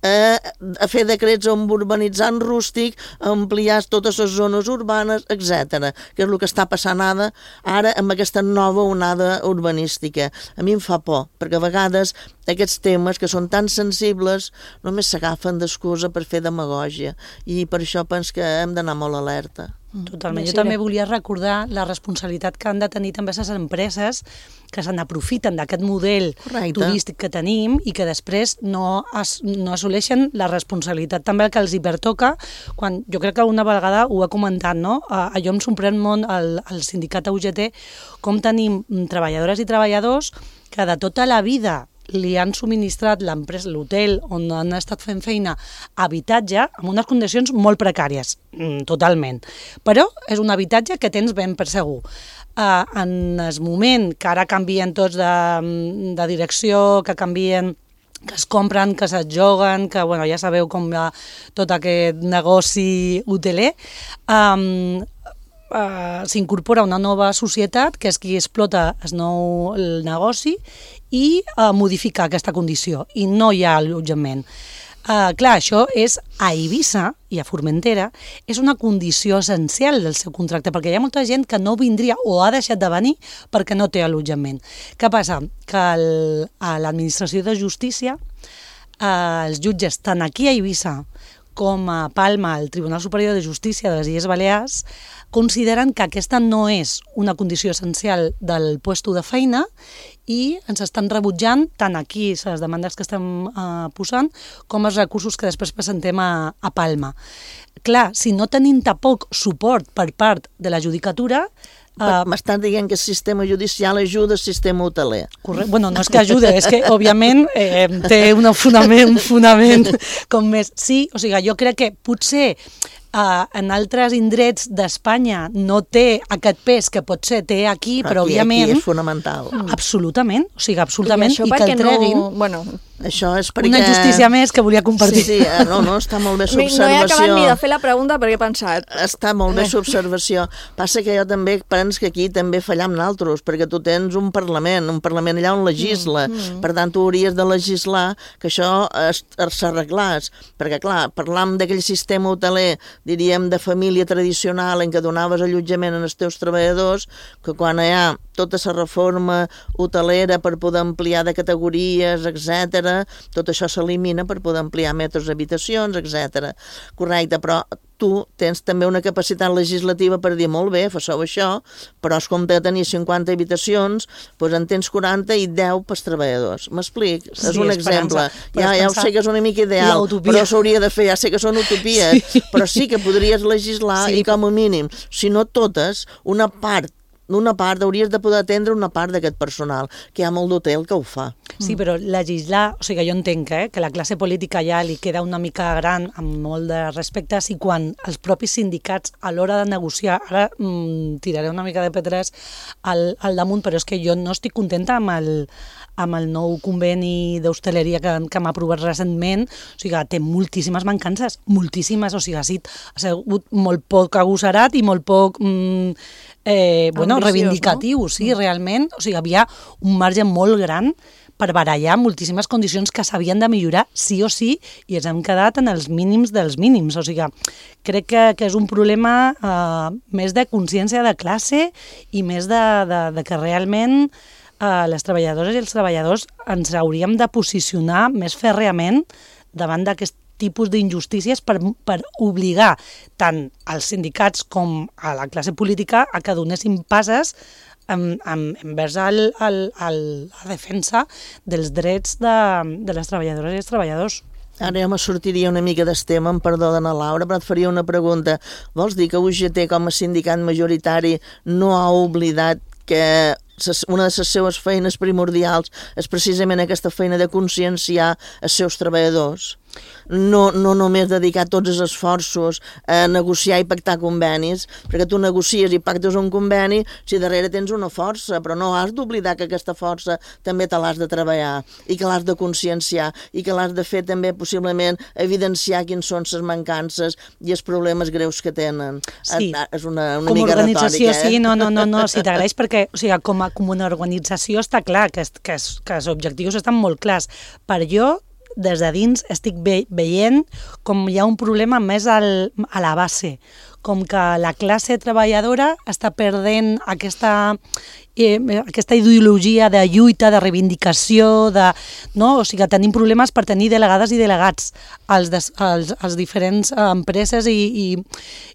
eh, a fer decrets amb urbanitzant rústic, ampliar totes les zones urbanes, etcètera, que és el que està passant ara, ara amb aquesta nova onada urbanística. A mi em fa por, perquè a vegades aquests temes que són tan sensibles només s'agafen d'excusa per fer demagògia, i per això penso que hem d'anar molt alerta. Totalment. Jo també volia recordar la responsabilitat que han de tenir també les empreses que se n'aprofiten d'aquest model Correcte. turístic que tenim i que després no, as, no assoleixen la responsabilitat també que els hi pertoca, quan jo crec que una vegada ho he comentat, no? Uh, allò em sorprèn molt al, al sindicat U G T com tenim treballadores i treballadors que de tota la vida li han subministrat l'empresa, l'hotel on han estat fent feina, habitatge, amb unes condicions molt precàries, mm, totalment. Però és un habitatge que tens ben per segur. Uh, en el moment que ara canvien tots de, de direcció, que canvien que es compren, que se't joguen, que bueno, ja sabeu com va tot aquest negoci hoteler, um, Uh, s'incorpora una nova societat que és qui explota el nou el negoci i uh, modifica aquesta condició i no hi ha allotjament. Uh, clar, això és a Eivissa i a Formentera és una condició essencial del seu contracte perquè hi ha molta gent que no vindria o ha deixat de venir perquè no té allotjament. Què passa? Que el, a l'administració de justícia uh, els jutges tant aquí a Eivissa com a Palma, el Tribunal Superior de Justícia de les Illes Balears, consideren que aquesta no és una condició essencial del puesto de feina i ens estan rebutjant tant aquí les demandes que estem eh, posant com els recursos que després presentem a, a Palma. Clar, si no tenim tampoc suport per part de la judicatura, Uh, M'estan dient que el sistema judicial ajuda el sistema hoteler. Correcte. Bueno, no és que ajude, és que, òbviament, eh, té un fonament, un fonament com més... Sí, o sigui, jo crec que potser uh, en altres indrets d'Espanya no té aquest pes que potser té aquí, però, aquí, òbviament... Aquí és fonamental. Absolutament, o sigui, absolutament, i, i que el treguin... No... Bueno, això és perquè... Una justícia més que volia compartir. Sí, sí, no, no, està molt bé l'observació. No he acabat ni de fer la pregunta perquè he pensat... Està molt bé l'observació. Passa que jo també penso que aquí també fallam naltros, perquè tu tens un Parlament, un Parlament allà on legisla, mm, mm. per tant tu hauries de legislar que això s'arreglés, perquè clar, parlam d'aquell sistema hoteler, diríem, de família tradicional en què donaves allotjament als teus treballadors, que quan hi ha tota la reforma hotelera per poder ampliar de categories, etcètera, tot això s'elimina per poder ampliar metres d'habitacions, etcètera. Correcte, però tu tens també una capacitat legislativa per dir, molt bé, fasseu això, però es compte de tenir cinquanta habitacions, doncs en tens quaranta i deu pels treballadors. M'explic? Sí, és un exemple. Ja, ja ho sé que és una mica ideal, però s'hauria de fer, ja sé que són utopies, sí. però sí que podries legislar sí. i com a mínim, si no totes, una part d'una part, hauries de poder atendre una part d'aquest personal, que hi ha molt d'hotel que ho fa. Sí, però legislar, o sigui, jo entenc eh, que la classe política ja li queda una mica gran amb molt de respecte, i quan els propis sindicats a l'hora de negociar, ara mm, tiraré una mica de pedres al, al damunt, però és que jo no estic contenta amb el, amb el nou conveni d'hostaleria que, que m'ha aprovat recentment, o sigui, té moltíssimes mancances, moltíssimes, o sigui, ha sigut molt poc agosserat i molt poc... Mm, Eh, bueno, ambiciós, reivindicatiu, no? Sí, realment, o sigui, havia un marge molt gran per barallar moltíssimes condicions que s'havien de millorar sí o sí i ens hem quedat en els mínims dels mínims, o sigui, crec que, que és un problema eh, més de consciència de classe i més de, de, de que realment eh, les treballadores i els treballadors ens hauríem de posicionar més fèrreament davant d'aquest tipus d'injustícies per, per obligar tant als sindicats com a la classe política a que donessin passes en, en, envers el, el, el, la defensa dels drets de, de les treballadores i els treballadors. Ara ja me sortiria una mica d'estem, em perdó d'Anna Laura, però et faria una pregunta. Vols dir que U G T com a sindicat majoritari no ha oblidat que una de les seues feines primordials és precisament aquesta feina de conscienciar els seus treballadors? No, no només dedicar tots els esforços a negociar i pactar convenis, perquè tu negocies i pactes un conveni si darrere tens una força, però no has d'oblidar que aquesta força també te l'has de treballar i que l'has de conscienciar i que l'has de fer també possiblement evidenciar quins són les mancances i els problemes greus que tenen. Sí. És una, una com mica organització, retòrica, eh? Sí, no, no, no, no si t'agraeix, perquè o sigui, com, a, com una organització està clar que, que, que els objectius estan molt clars. Per jo, des de dins estic ve, veient com hi ha un problema més al, a la base, com que la classe treballadora està perdent aquesta, eh, aquesta ideologia de lluita, de reivindicació, de, no? O sigui, tenim problemes per tenir delegades i delegats als, des, als, als diferents empreses i, i,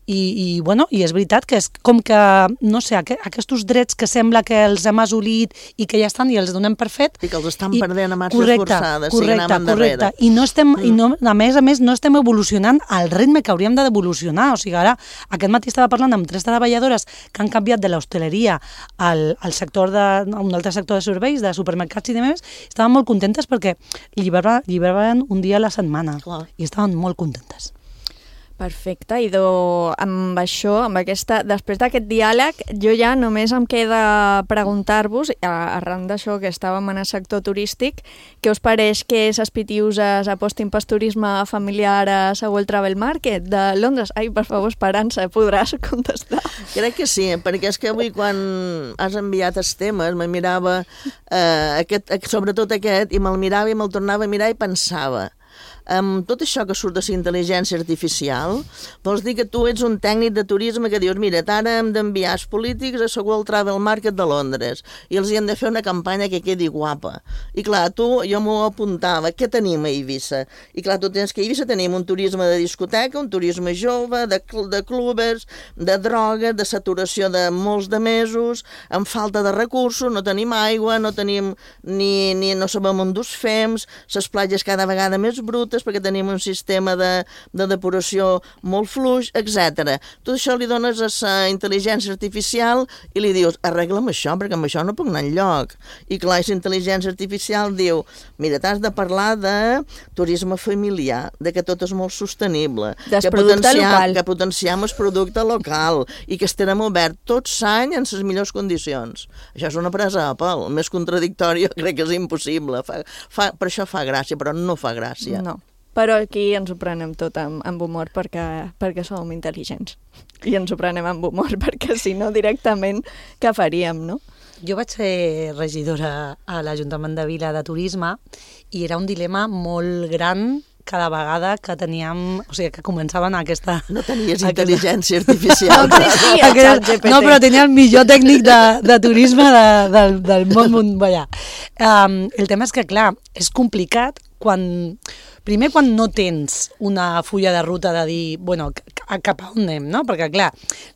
i, i, bueno, i és veritat que és com que, no sé, aqu aquests drets que sembla que els hem assolit i que ja estan i els donem per fet. I que els estan i, perdent a marxes correcte, forçades, correcte, siguen correcte. I no estem, mm. i no, a més a més, no estem evolucionant al ritme que hauríem d'evolucionar. O sigui, ara, aquest matí estava parlant amb tres treballadores que han canviat de l'hostaleria al, al sector de, a un altre sector de serveis, de supermercats i demés, estaven molt contentes perquè lliberaven un dia a la setmana. Clar. I estaven molt contentes. Perfecte, i do, amb això, amb aquesta, després d'aquest diàleg, jo ja només em queda preguntar-vos, arran d'això que estàvem en el sector turístic, què us pareix que les pitiuses apostin pel turisme familiar a la World Travel Market de Londres? Ai, per favor, Esperança, podràs contestar? Crec que sí, perquè és que avui quan has enviat els temes me mirava, eh, aquest, sobretot aquest, i me'l mirava i me'l tornava a mirar i pensava, amb tot això que surt de la intel·ligència artificial, vols dir que tu ets un tècnic de turisme que dius, mira, ara hem d'enviar els polítics a la World Travel Market de Londres i els hi hem de fer una campanya que quedi guapa. I clar, tu, jo m'ho apuntava, què tenim a Eivissa? I clar, tu tens que a Eivissa tenim un turisme de discoteca, un turisme jove, de, de clubes, de droga, de saturació de molts de mesos, amb falta de recursos, no tenim aigua, no tenim ni, ni no sabem on dus fems, les platges cada vegada més brutes, perquè tenim un sistema de, de depuració molt fluix, etcètera. Tot això li dones a la intel·ligència artificial i li dius, arregla'm això, perquè amb això no puc anar enlloc. I clar, la intel·ligència artificial diu, mira, t'has de parlar de turisme familiar, de que tot és molt sostenible, que potenciam, que potenciam el producte local i que estarem oberts tot l'any en les millors condicions. Això és una presa a pèl, més contradictòria crec que és impossible. Fa, fa, per això fa gràcia, però no fa gràcia. No. Però aquí ens ho prenem tot amb, amb humor perquè, perquè som intel·ligents. I ens ho prenem amb humor perquè si no directament què faríem, no? Jo vaig ser regidora a l'Ajuntament de Vila de Turisme i era un dilema molt gran cada vegada que teníem, o sigui, que començaven aquesta... No tenies intel·ligència artificial. No existia el xat G P T. No, però tenia el millor tècnic de, de turisme de, de, del món mundial. Um, el tema és que, clar, és complicat quan... Primer, quan no tens una fulla de ruta de dir, bueno, cap a on anem, no? Perquè, clar,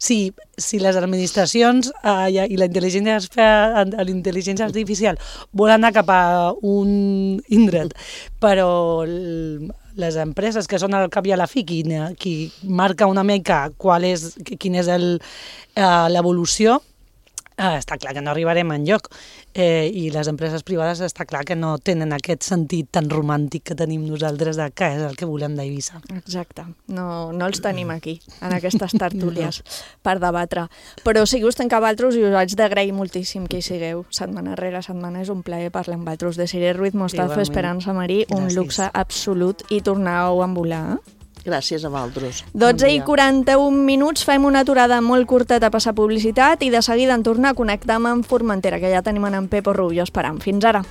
si, si les administracions eh, i la intel·ligència, l'intel·ligència artificial volen anar cap a un indret, però les empreses que són al cap i a la fi qui, qui marca una mica qual és, quin és el, eh, l'evolució, eh, està clar que no arribarem enlloc. Eh, I les empreses privades està clar que no tenen aquest sentit tan romàntic que tenim nosaltres de què és el que volem d'Eivissa. Exacte, no, no els tenim aquí, en aquestes tertúlies, no. per debatre. Però sí que us tenc a vosaltres i us haig d'agrair moltíssim que hi sigueu setmana rere setmana. És un plaer parlar amb vosaltres. De Siré Ruiz Mostazo, Esperança Marí, un Gràcies. Luxe absolut i torneu a envolar. Gràcies a vosaltres. dotze i quaranta-un minuts, fem una aturada molt curteta a passar publicitat i de seguida en tornar a connectar amb Formentera, que ja tenim en Pepo Rubio esperant. Fins ara.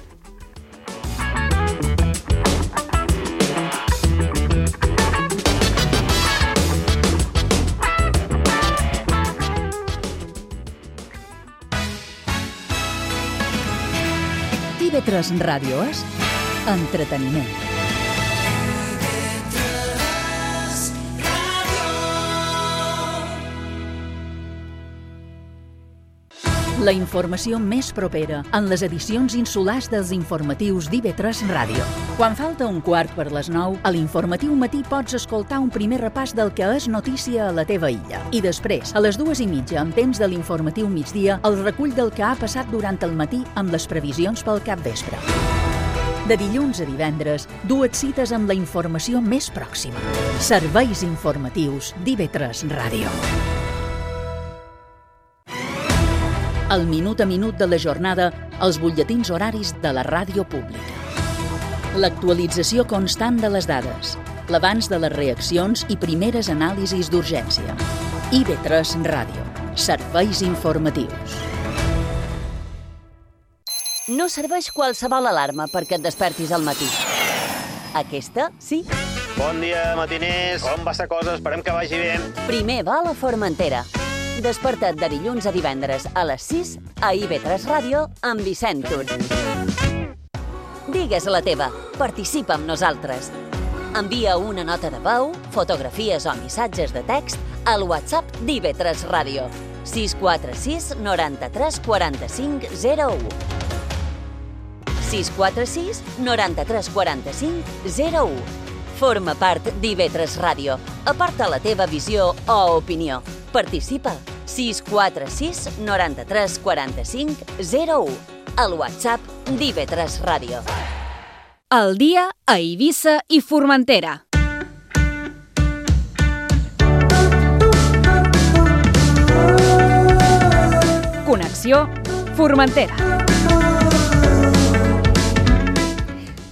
I V tres Ràdio és entreteniment. La informació més propera en les edicions insulars dels informatius d'I V tres Ràdio. Quan falta un quart per les nou, a l'informatiu matí pots escoltar un primer repàs del que és notícia a la teva illa. I després, a les dues i mitja, en temps de l'informatiu migdia, el recull del que ha passat durant el matí amb les previsions pel capvespre. De dilluns a divendres, dues cites amb la informació més pròxima. Serveis informatius d'I V tres Ràdio. El minut a minut de la jornada, els butlletins horaris de la ràdio pública. L'actualització constant de les dades, l'abans de les reaccions i primeres anàlisis d'urgència. I V tres Ràdio. Serveis informatius. No serveix qualsevol alarma perquè et despertis al matí. Aquesta, sí. Bon dia, matiners. Com va esta cosa? Esperem que vagi bé. Primer vol a Formentera. Desperta't de dilluns a divendres a les sis a I V tres Ràdio amb Vicent Tur. Digues la teva. Participa amb nosaltres. Envia una nota de veu, fotografies o missatges de text al WhatsApp d'I V tres Ràdio. sis quatre sis noranta-tres quaranta-cinc zero u. sis quatre sis noranta-tres quaranta-cinc zero u. Forma part d'I V tres Ràdio. Aporta la teva visió o opinió. Participa. sis quatre sis noranta-tres quaranta-cinc zero u. Al WhatsApp d'I V tres Ràdio. El dia a Eivissa i Formentera. Connexió Formentera.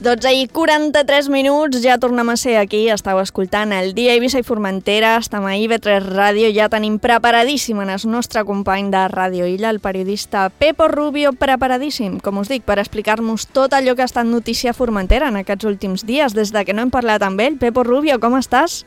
dotze i quaranta-tres minuts, ja tornem a ser aquí, estàu escoltant el dia a Eivissa i Formentera, estem a I V tres Ràdio, ja tenim preparadíssim en el nostre company de Ràdio Illa, el periodista Pepo Rubio, preparadíssim, com us dic, per explicar-nos tot allò que ha estat notícia a Formentera en aquests últims dies, des de que no hem parlat amb ell. Pepo Rubio, com estàs?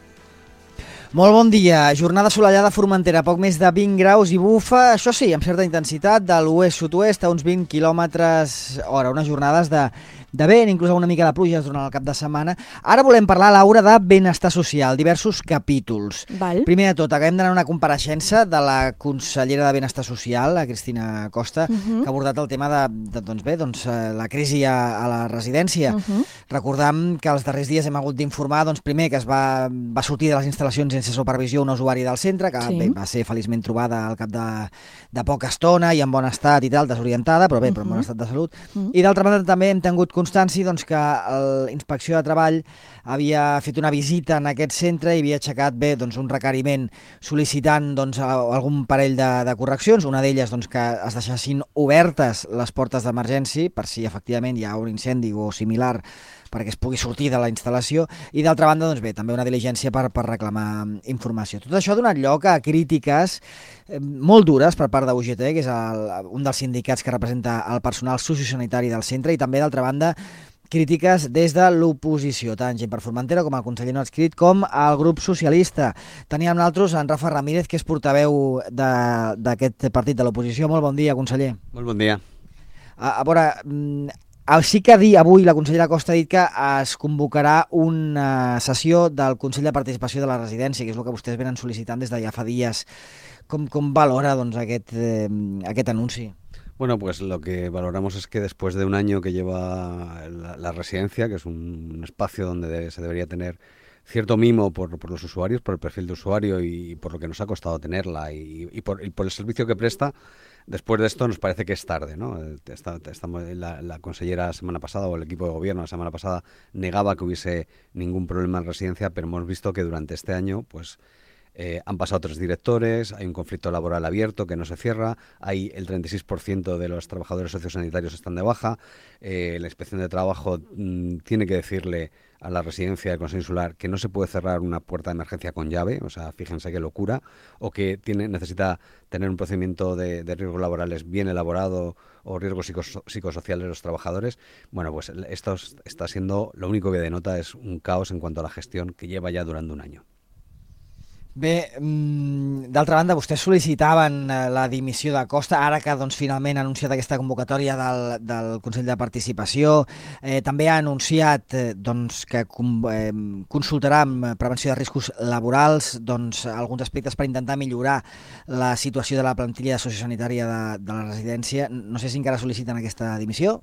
Molt bon dia. Jornada assolellada a Formentera, poc més de vint graus i bufa, això sí, amb certa intensitat, de l'oest-sud-oest a uns vint quilòmetres hora, unes jornades de, de vent, inclús una mica de pluja durant el cap de setmana. Ara volem parlar, Laura, de benestar social, diversos capítols. Val. Primer de tot, acabem d'anar a una compareixença de la consellera de Benestar Social, la Cristina Costa, Uh-huh. que ha abordat el tema de, de doncs bé, doncs, la crisi a, a la residència. Uh-huh. Recordam que els darrers dies hem hagut d'informar, doncs, primer, que es va, va sortir de les instal·lacions sense supervisió un usuari del centre, que Sí. bé, va ser feliçment trobada al cap de, de poca estona i en bon estat i tal, desorientada, però bé, però en bon Mhm. estat de salut. Mhm. I d'altra banda també hem tingut constància doncs, que la Inspecció de Treball havia fet una visita en aquest centre i havia aixecat bé doncs, un requeriment sol·licitant doncs, algun parell de, de correccions, una d'elles doncs, que es deixessin obertes les portes d'emergència per si efectivament hi ha un incendi o similar perquè es pugui sortir de la instal·lació, i d'altra banda, doncs bé, també una diligència per, per reclamar informació. Tot això ha donat lloc a crítiques eh, molt dures per part de U G T, que és el, un dels sindicats que representa el personal sociosanitari del centre, i també, d'altra banda, crítiques des de l'oposició, tant gent per Formentera com el conseller no adscrit com el grup socialista. Teníem nosaltres en Rafa Ramírez, que és portaveu d'aquest partit de l'oposició. Molt bon dia, conseller. Molt bon dia. A, a veure, sí que dir avui la consellera Costa ha dit que es convocarà una sessió del Consell de Participació de la Residència, que és el que vostès venen sol·licitant des de ja fa dies. Com, com valora doncs, aquest, eh, aquest anunci? Bueno, pues lo que valoramos es que después de un año que lleva la, la residencia, que es un, un espacio donde de, se debería tener cierto mimo por, por los usuarios, por el perfil de usuario y, y por lo que nos ha costado tenerla y, y, por, y por el servicio que presta, después de esto nos parece que es tarde, ¿no? Está, estamos, la, la consellera la semana pasada o el equipo de gobierno la semana pasada negaba que hubiese ningún problema en residencia, pero hemos visto que durante este año, pues Eh, han pasado tres directores, hay un conflicto laboral abierto que no se cierra, hay el treinta y seis por ciento de los trabajadores sociosanitarios están de baja, eh, la Inspección de Trabajo mmm, tiene que decirle a la residencia del Consejo Insular que no se puede cerrar una puerta de emergencia con llave, o sea, fíjense qué locura, o que tiene, necesita tener un procedimiento de, de riesgos laborales bien elaborado o riesgos psicos, psicosociales de los trabajadores. Bueno, pues esto está siendo, lo único que denota es un caos en cuanto a la gestión que lleva ya durante un año. Bé, d'altra banda, vostès sol·licitaven la dimissió de Costa, ara que doncs, finalment ha anunciat aquesta convocatòria del, del Consell de Participació. Eh, també ha anunciat eh, doncs, que eh, consultarà amb prevenció de riscos laborals doncs, alguns aspectes per intentar millorar la situació de la plantilla sociosanitària de, de la residència. No sé si encara sol·liciten aquesta dimissió.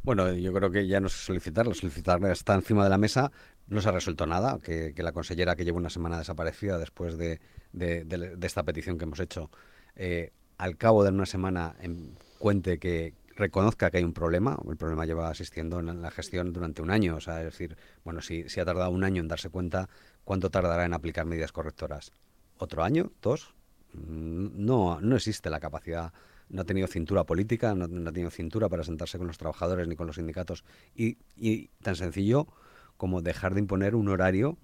Bueno, yo creo que ya no es solicitarla, solicitarla está encima de la mesa. No se ha resuelto nada, que, que la consellera que lleva una semana desaparecida después de, de, de, de esta petición que hemos hecho, eh, al cabo de una semana en, cuente que reconozca que hay un problema. El problema lleva asistiendo en la gestión durante un año. O sea, es decir, bueno, si, si ha tardado un año en darse cuenta, ¿cuánto tardará en aplicar medidas correctoras? ¿Otro año? ¿Dos? No, no existe la capacidad. No ha tenido cintura política, no, no ha tenido cintura para sentarse con los trabajadores ni con los sindicatos. Y, y tan sencillo como dejar de imponer un horario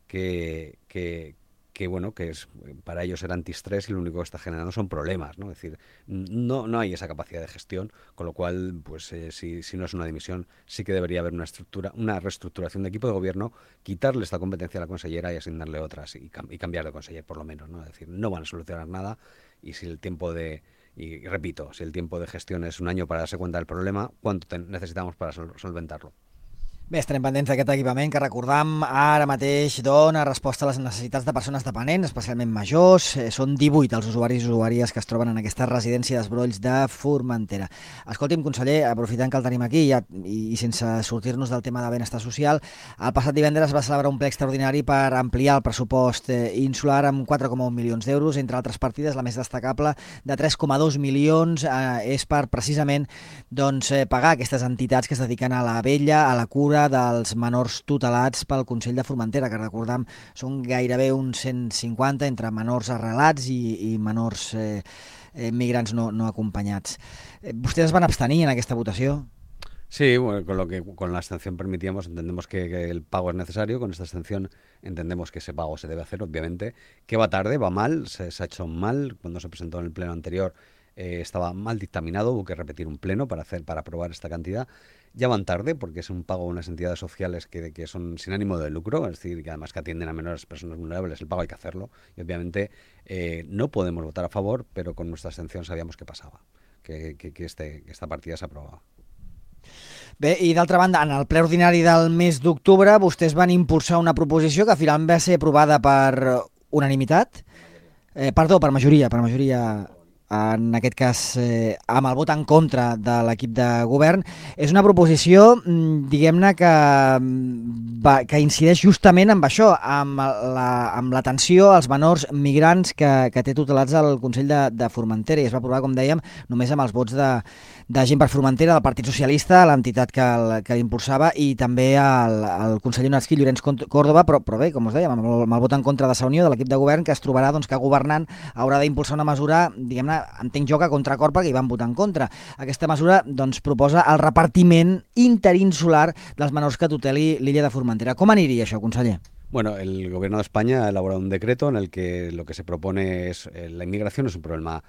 que, que, que bueno, que es, para ellos era antiestrés y lo único que está generando son problemas, ¿no? Es decir, no, no hay esa capacidad de gestión, con lo cual, pues eh, si, si no es una dimisión, sí que debería haber una estructura, una reestructuración de equipo de gobierno, quitarle esta competencia a la consellera y asignarle otras y, cam- y cambiar de conseller por lo menos, ¿no? Es decir, no van a solucionar nada y si el tiempo de, y, y repito, si el tiempo de gestión es un año para darse cuenta del problema, ¿cuánto te- necesitamos para sol- solventarlo? Bé, estarem pendents d'aquest equipament que recordam ara mateix dona resposta a les necessitats de persones dependents, especialment majors. Eh, són divuit els usuaris i usuàries que es troben en aquesta residència d'Esbrolls de Formentera. Escolti'm, conseller, aprofitant que el tenim aquí ja, i, i sense sortir-nos del tema de benestar social, el passat divendres va celebrar un ple extraordinari per ampliar el pressupost eh, insular amb quatre coma un milions d'euros. Entre altres partides, la més destacable, de tres coma dos milions, eh, és per precisament doncs, eh, pagar aquestes entitats que es dediquen a la vella, a la cura dels menors tutelats pel Consell de Formentera, que recordam són gairebé uns cent cinquanta entre menors arrelats i, i menors eh, eh, migrants no, no acompanyats. Eh, vostès es van abstenir en aquesta votació? Sí, bueno, con lo que con la abstención permitíamos, entendemos que, que el pago es necesario, con esta abstención entendemos que ese pago se debe hacer, obviamente, que va tarde, va mal, se, se ha hecho mal, cuando se presentó en el pleno anterior eh, estaba mal dictaminado, hubo que repetir un pleno para hacer para aprobar esta cantidad. Ya van tarde porque es un pago a unas entidades sociales que, que son sin ánimo de lucro, es decir, que además que atienden a menores personas vulnerables, el pago hay que hacerlo y obviamente eh, no podemos votar a favor, pero con nuestra abstención sabíamos que pasaba, que, que, que, este, que esta partida s'aprovava. Bé, i d'altra banda, en el ple ordinari del mes d'octubre vostès van impulsar una proposició que finalment va ser aprovada per unanimitat, eh, perdó, per majoria, per majoria en aquest cas eh, amb el vot en contra de l'equip de govern. És una proposició, diguem-ne, que, va, que incideix justament amb això, amb la, amb l'atenció als menors migrants que, que té tutelats el Consell de, de Formentera, i es va aprovar, com dèiem, només amb els vots de, de Gent per Formentera, del Partit Socialista, l'entitat que, que l'impulsava, i també el, el conseller nasquí Llorenç Còrdova, però, però bé, com us dèiem, amb el, amb el vot en contra de Sa Unió, de l'equip de govern, que es trobarà doncs, que governant haurà d'impulsar una mesura, diguem-ne, entenc jo que a contracor perquè hi van votar en contra. Aquesta mesura doncs, proposa el repartiment interinsular dels menors que tuteli l'illa de Formentera. Com aniria això, conseller? Bueno, el Gobierno de España ha elaborado un decreto en el que lo que se propone es eh, la inmigración es un problema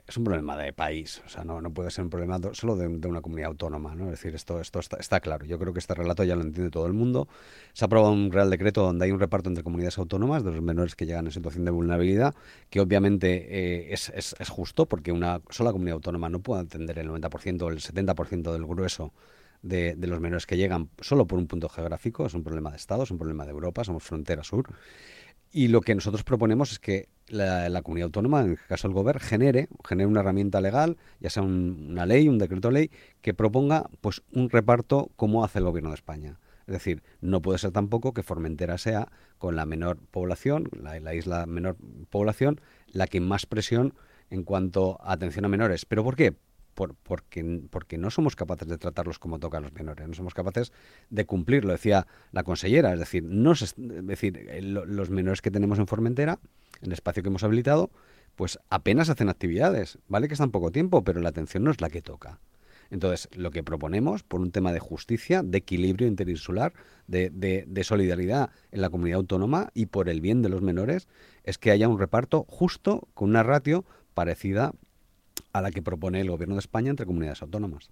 es un problema de país, o sea, no, no puede ser un problema solo de, de una comunidad autónoma, ¿no? Es decir, esto, esto está, está claro. Yo creo que este relato ya lo entiende todo el mundo. Se ha aprobado un Real Decreto donde hay un reparto entre comunidades autónomas de los menores que llegan en situación de vulnerabilidad, que obviamente eh, es, es, es justo porque una sola comunidad autónoma no puede atender el noventa por ciento o el setenta por ciento del grueso de, de los menores que llegan solo por un punto geográfico. Es un problema de Estado, es un problema de Europa, somos frontera sur. Y lo que nosotros proponemos es que la, la comunidad autónoma, en el caso del Gobierno, genere, genere una herramienta legal, ya sea un, una ley, un decreto ley, que proponga pues un reparto como hace el Gobierno de España. Es decir, no puede ser tampoco que Formentera sea, con la menor población, la, la isla menor población, la que más presión en cuanto a atención a menores. ¿Pero por qué? Por, porque, porque no somos capaces de tratarlos como toca a los menores, no somos capaces de cumplirlo, decía la consellera, es decir, no se, es decir, los menores que tenemos en Formentera, en el espacio que hemos habilitado, pues apenas hacen actividades, vale que están poco tiempo, pero la atención no es la que toca. Entonces, lo que proponemos, por un tema de justicia, de equilibrio interinsular, de, de, de solidaridad en la comunidad autónoma y por el bien de los menores, es que haya un reparto justo con una ratio parecida a la que propone el Gobierno de España entre comunidades autónomas.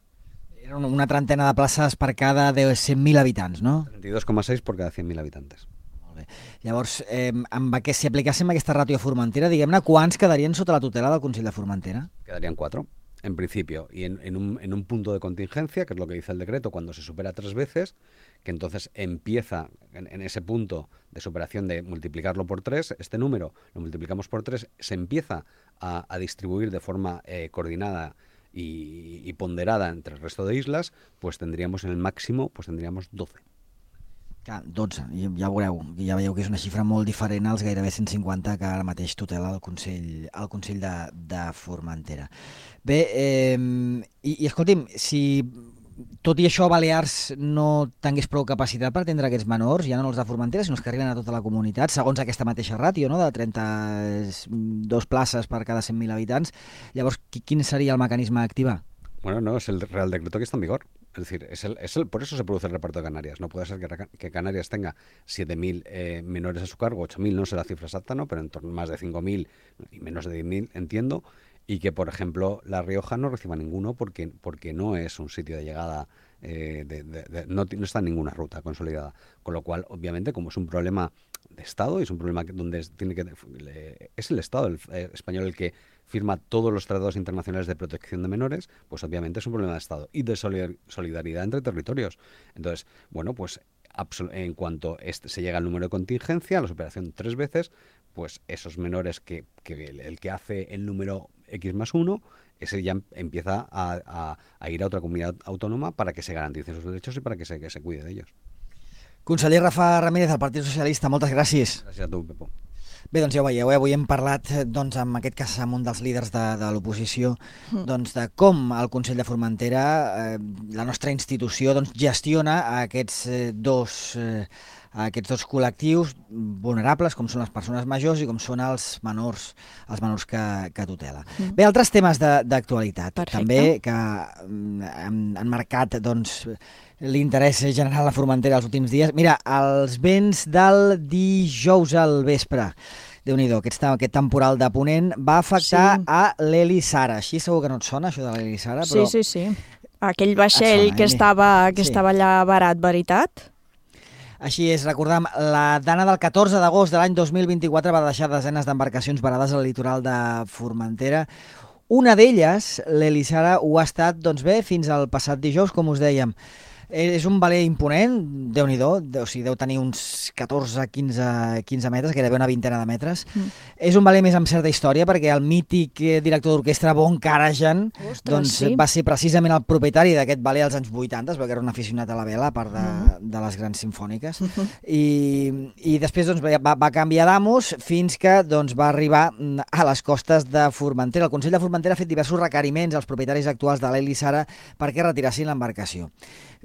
Era una trentena de places per cada de cent mil habitants, no? trenta-dos coma seis por cada cent mil habitantes. Molt bé. Llavors, eh, amb aquest, si aplicàssim aquesta ràtio a Formentera, diguem-ne, quants quedarien sota la tutela del Consell de Formentera? Quedarían cuatro, en principio, y en, en, un, en un punto de contingencia, que es lo que dice el decreto, cuando se supera tres veces, que entonces empieza en, en ese punto de superación de multiplicarlo por tres, este número lo multiplicamos por tres, se empieza a, a distribuir de forma eh, coordinada y, y ponderada entre el resto de islas, pues tendríamos en el máximo, pues tendríamos doce. Clar, dotze, ja veureu, ja veieu que és una xifra molt diferent als gairebé cent cinquanta que ara mateix tutela el Consell, el Consell de, de Formentera. Bé, eh, i, i escolti'm, si tot i això Balears no tingués prou capacitat per atendre aquests menors, ja no els de Formentera, sinó els que arriben a tota la comunitat, segons aquesta mateixa ràtio, no?, de trenta-dos places per cada cent mil habitants, llavors quin seria el mecanisme a activar? Bueno, no, es el Real Decreto que está en vigor. Es decir, es el, es el, por eso se produce el reparto de Canarias. No puede ser que, que Canarias tenga siete mil eh, menores a su cargo, ocho mil, no sé la cifra exacta, ¿no? Pero en torno a más de cinco mil y menos de diez mil, entiendo, y que, por ejemplo, La Rioja no reciba ninguno porque, porque no es un sitio de llegada, eh, de, de, de, no, no está en ninguna ruta consolidada. Con lo cual, obviamente, como es un problema de Estado y es un problema que, donde tiene que es el Estado el, eh, español el que firma todos los tratados internacionales de protección de menores, pues obviamente es un problema de Estado y de solidaridad entre territorios. Entonces, bueno, pues en cuanto este, se llega al número de contingencia, la superación tres veces, pues esos menores que, que el, el que hace el número X más uno, ese ya empieza a, a, a ir a otra comunidad autónoma para que se garanticen sus derechos y para que se, que se cuide de ellos. Conseller Rafa Ramírez, del Partit Socialista, moltes gràcies. Gràcies a tu, Pepo. Bé, doncs ja ho veieu, eh? Avui hem parlat, doncs, en aquest cas amb un dels líders de, de l'oposició, mm. doncs, de com el Consell de Formentera, eh, la nostra institució, doncs, gestiona aquests eh, dos... Eh, aquests dos col·lectius vulnerables, com són les persones majors i com són els menors, els menors que, que tutela. Mm. Bé, altres temes d'actualitat, també, que han, han marcat doncs, l'interès general a la Formentera els últims dies. Mira, els vents del dijous al vespre, Déu-n'hi-do, aquest, aquest temporal de Ponent va afectar sí. a l'Eli Sara. Així segur que no et sona, això de l'Eli Sara? Però... Sí, sí, sí. Aquell vaixell sona, que, eh? estava, que sí. estava allà barat, veritat? Així és, recordem, la dana del catorze d'agost de l'any dos mil vint-i-quatre va deixar desenes d'embarcacions varades al litoral de Formentera. Una d'elles, l'Eli Sara, ho ha estat, doncs bé, fins al passat dijous, com us dèiem. És un veler imponent, Déu-n'hi-do, o sigui, deu tenir uns catorze a quinze metres, gairebé una vintena de metres. Mm. És un veler més amb certa història, perquè el mític director d'orquestra Von Karajan doncs, sí. va ser precisament el propietari d'aquest veler als anys vuitanta, perquè era un aficionat a la vela, a part de, mm. de les grans simfòniques. Mm-hmm. I, I després doncs, va, va canviar d'amos fins que doncs, va arribar a les costes de Formentera. El Consell de Formentera ha fet diversos requeriments als propietaris actuals de l'Eli Sara perquè retirassin l'embarcació.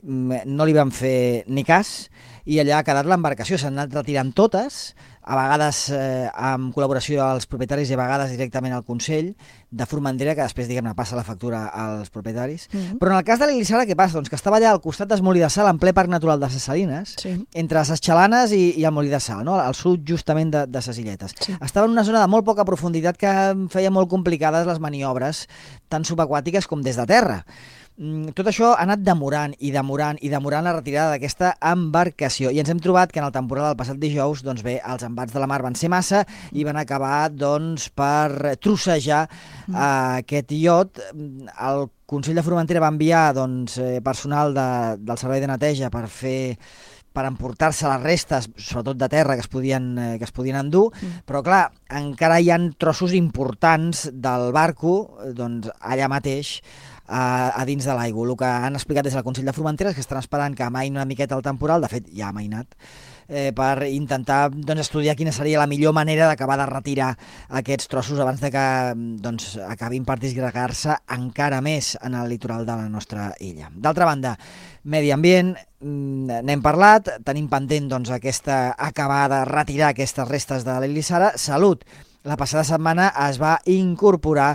No li van fer ni cas i allà ha quedat l'embarcació, s'han anat retirant totes, a vegades eh, amb col·laboració dels propietaris i a vegades directament al Consell de Formentera, que després, diguem-ne, passa la factura als propietaris. Mm-hmm. Però en el cas de l'Eli Sara, què passa? Doncs que estava allà al costat del Molí de Sal, en ple Parc Natural de Ses Salines, sí. entre Ses Xalanes i, i el Molí de Sal, no? Al sud justament de, de Ses Illetes. Sí. Estava en una zona de molt poca profunditat que feia molt complicades les maniobres, tant subaquàtiques com des de terra. Tot això ha anat demorant i demorant i demorant la retirada d'aquesta embarcació i ens hem trobat que en el temporal del passat dijous doncs bé, els embats de la mar van ser massa i van acabar doncs, per trossejar mm. uh, aquest iot. El Consell de Formentera va enviar doncs, personal de, del servei de neteja per fer per emportar-se les restes, sobretot de terra, que es podien, eh, que es podien endur, mm. però clar, encara hi ha trossos importants del barco doncs, allà mateix, A, a dins de l'aigua. El que han explicat des del Consell de Formentera és que estan esperant que amaini una miqueta el temporal, de fet ja ha amainat, eh, per intentar doncs, estudiar quina seria la millor manera d'acabar de retirar aquests trossos abans de que doncs, acabin per disgregar-se encara més en el litoral de la nostra illa. D'altra banda, medi ambient, n'hem parlat, tenim pendent doncs, aquesta acabar de retirar aquestes restes de l'Eli Sara. Salut! La passada setmana es va incorporar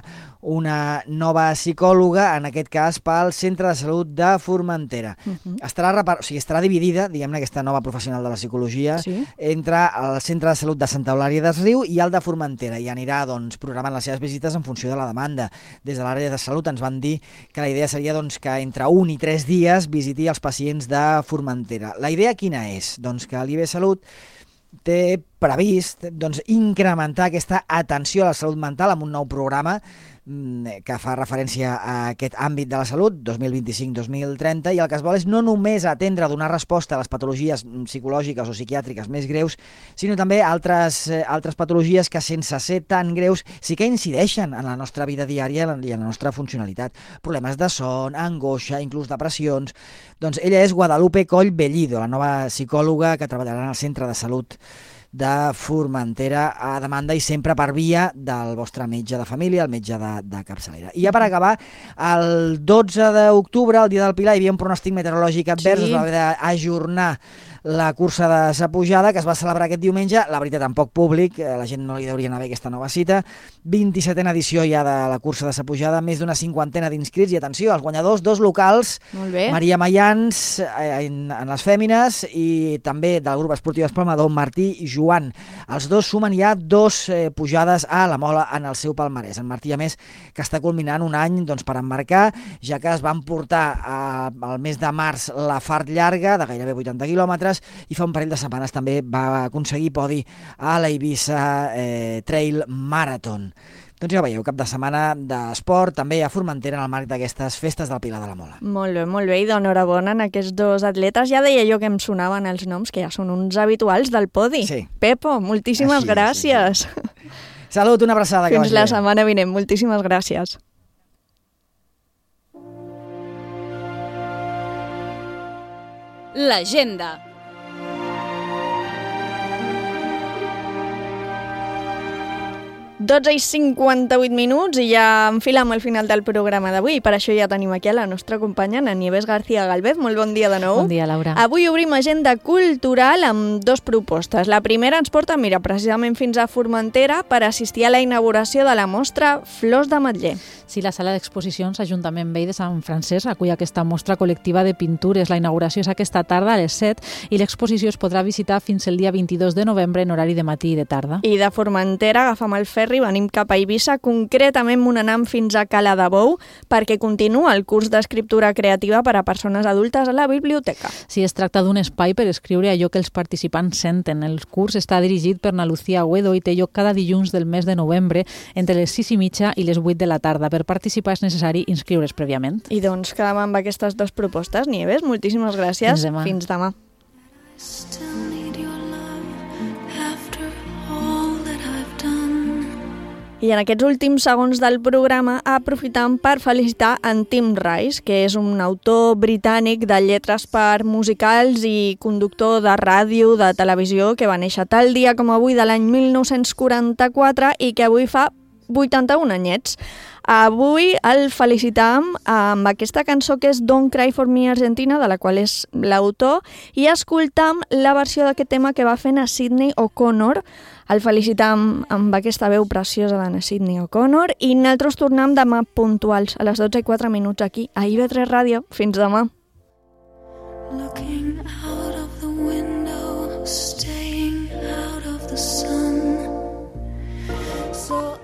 una nova psicòloga, en aquest cas pel Centre de Salut de Formentera. Uh-huh. estarà, repar... o sigui, estarà dividida, diguem-ne, aquesta nova professional de la psicologia, sí. entre el Centre de Salut de Santa Eulària des Riu i el de Formentera, i anirà doncs, programant les seves visites en funció de la demanda. Des de l'àrea de salut ens van dir que la idea seria doncs, que entre un i tres dies visiti els pacients de Formentera. La idea quina és? Doncs que l'I B Salut té previst doncs, incrementar aquesta atenció a la salut mental amb un nou programa que fa referència a aquest àmbit de la salut, dos mil vint-i-cinc dos mil trenta, i el que es vol és no només atendre a donar resposta a les patologies psicològiques o psiquiàtriques més greus, sinó també altres, altres patologies que, sense ser tan greus, sí que incideixen en la nostra vida diària i en la nostra funcionalitat. Problemes de son, angoixa, inclús depressions. Doncs ella és Guadalupe Coll Bellido, la nova psicòloga que treballarà en el Centre de Salut de Formentera, a demanda i sempre per via del vostre metge de família, el metge de, de capçalera. I ja per acabar, el dotze d'octubre, el dia del Pilar, hi havia un pronòstic meteorològic advers, sí. Es va haver d'ajornar la cursa de sa pujada, que es va celebrar aquest diumenge, la veritat, amb poc públic, la gent no li hauria anar bé aquesta nova cita, vint-i-setena edició ja de la cursa de sa pujada, més d'una cinquantena d'inscrits, i atenció, els guanyadors, dos locals, Maria Mayans en, en les fèmines, i també del grup esportiu Espalmador, Martí i Joan. Els dos sumen ja dos eh, pujades a la Mola en el seu palmarès. En Martí, a més, que està culminant un any doncs, per emmarcar, ja que es van portar eh, al mes de març la Fart llarga, de gairebé vuitanta quilòmetres, i fa un parell de setmanes també va aconseguir podi a la Eivissa eh, Trail Marathon. Doncs ja veieu, cap de setmana d'esport, també a Formentera en el marc d'aquestes festes del Pilar de la Mola. Molt bé, molt bé, i d'enhorabona en aquests dos atletes. Ja deia jo que em sonaven els noms, que ja són uns habituals del podi. Sí. Pepo, moltíssimes Així, gràcies. Sí, sí. Salut, una abraçada. Fins la setmana vinent, moltíssimes gràcies. L'agenda. dotze i cinquanta-vuit minuts i ja enfilem al final del programa d'avui. Per això ja tenim aquí a la nostra companya, la Nieves García Galvez. Molt bon dia de nou. Bon dia, Laura. Avui obrim agenda cultural amb dos propostes. La primera ens porta, mira, precisament fins a Formentera per assistir a la inauguració de la mostra Flors d'Ametller. Sí, la sala d'exposicions Ajuntament Vell de Sant Francesc acull aquesta mostra col·lectiva de pintures. La inauguració és aquesta tarda a les set i l'exposició es podrà visitar fins el dia vint-i-dos de novembre en horari de matí i de tarda. I de Formentera agafam el ferri, venim cap a Eivissa, concretament Monanam fins a Cala de Bou, perquè continua el curs d'escriptura creativa per a persones adultes a la biblioteca. Sí, es tracta d'un espai per escriure allò que els participants senten. El curs està dirigit per na Lucía Agüedo i té lloc cada dilluns del mes de novembre entre les sis i mitja i les vuit de la tarda. Per participar és necessari inscriure's prèviament. I doncs quedem amb aquestes dues propostes. Nieves, moltíssimes gràcies. Fins demà. Fins demà. I en aquests últims segons del programa aprofitam per felicitar en Tim Rice, que és un autor britànic de lletres per musicals i conductor de ràdio, de televisió, que va néixer tal dia com avui de l'any mil nou-cents quaranta-quatre i que avui fa vuitanta-un anyets. Avui el felicitam amb aquesta cançó que és Don't Cry For Me Argentina, de la qual és l'autor, i escoltam la versió d'aquest tema que va fer na Sidney O'Connor. El felicitam amb aquesta veu preciosa de na Sidney O'Connor i nosaltres tornem demà puntuals a les dotze i quatre minuts aquí a I V tres Ràdio. Fins demà. Looking out of the window, staying out of the sun. So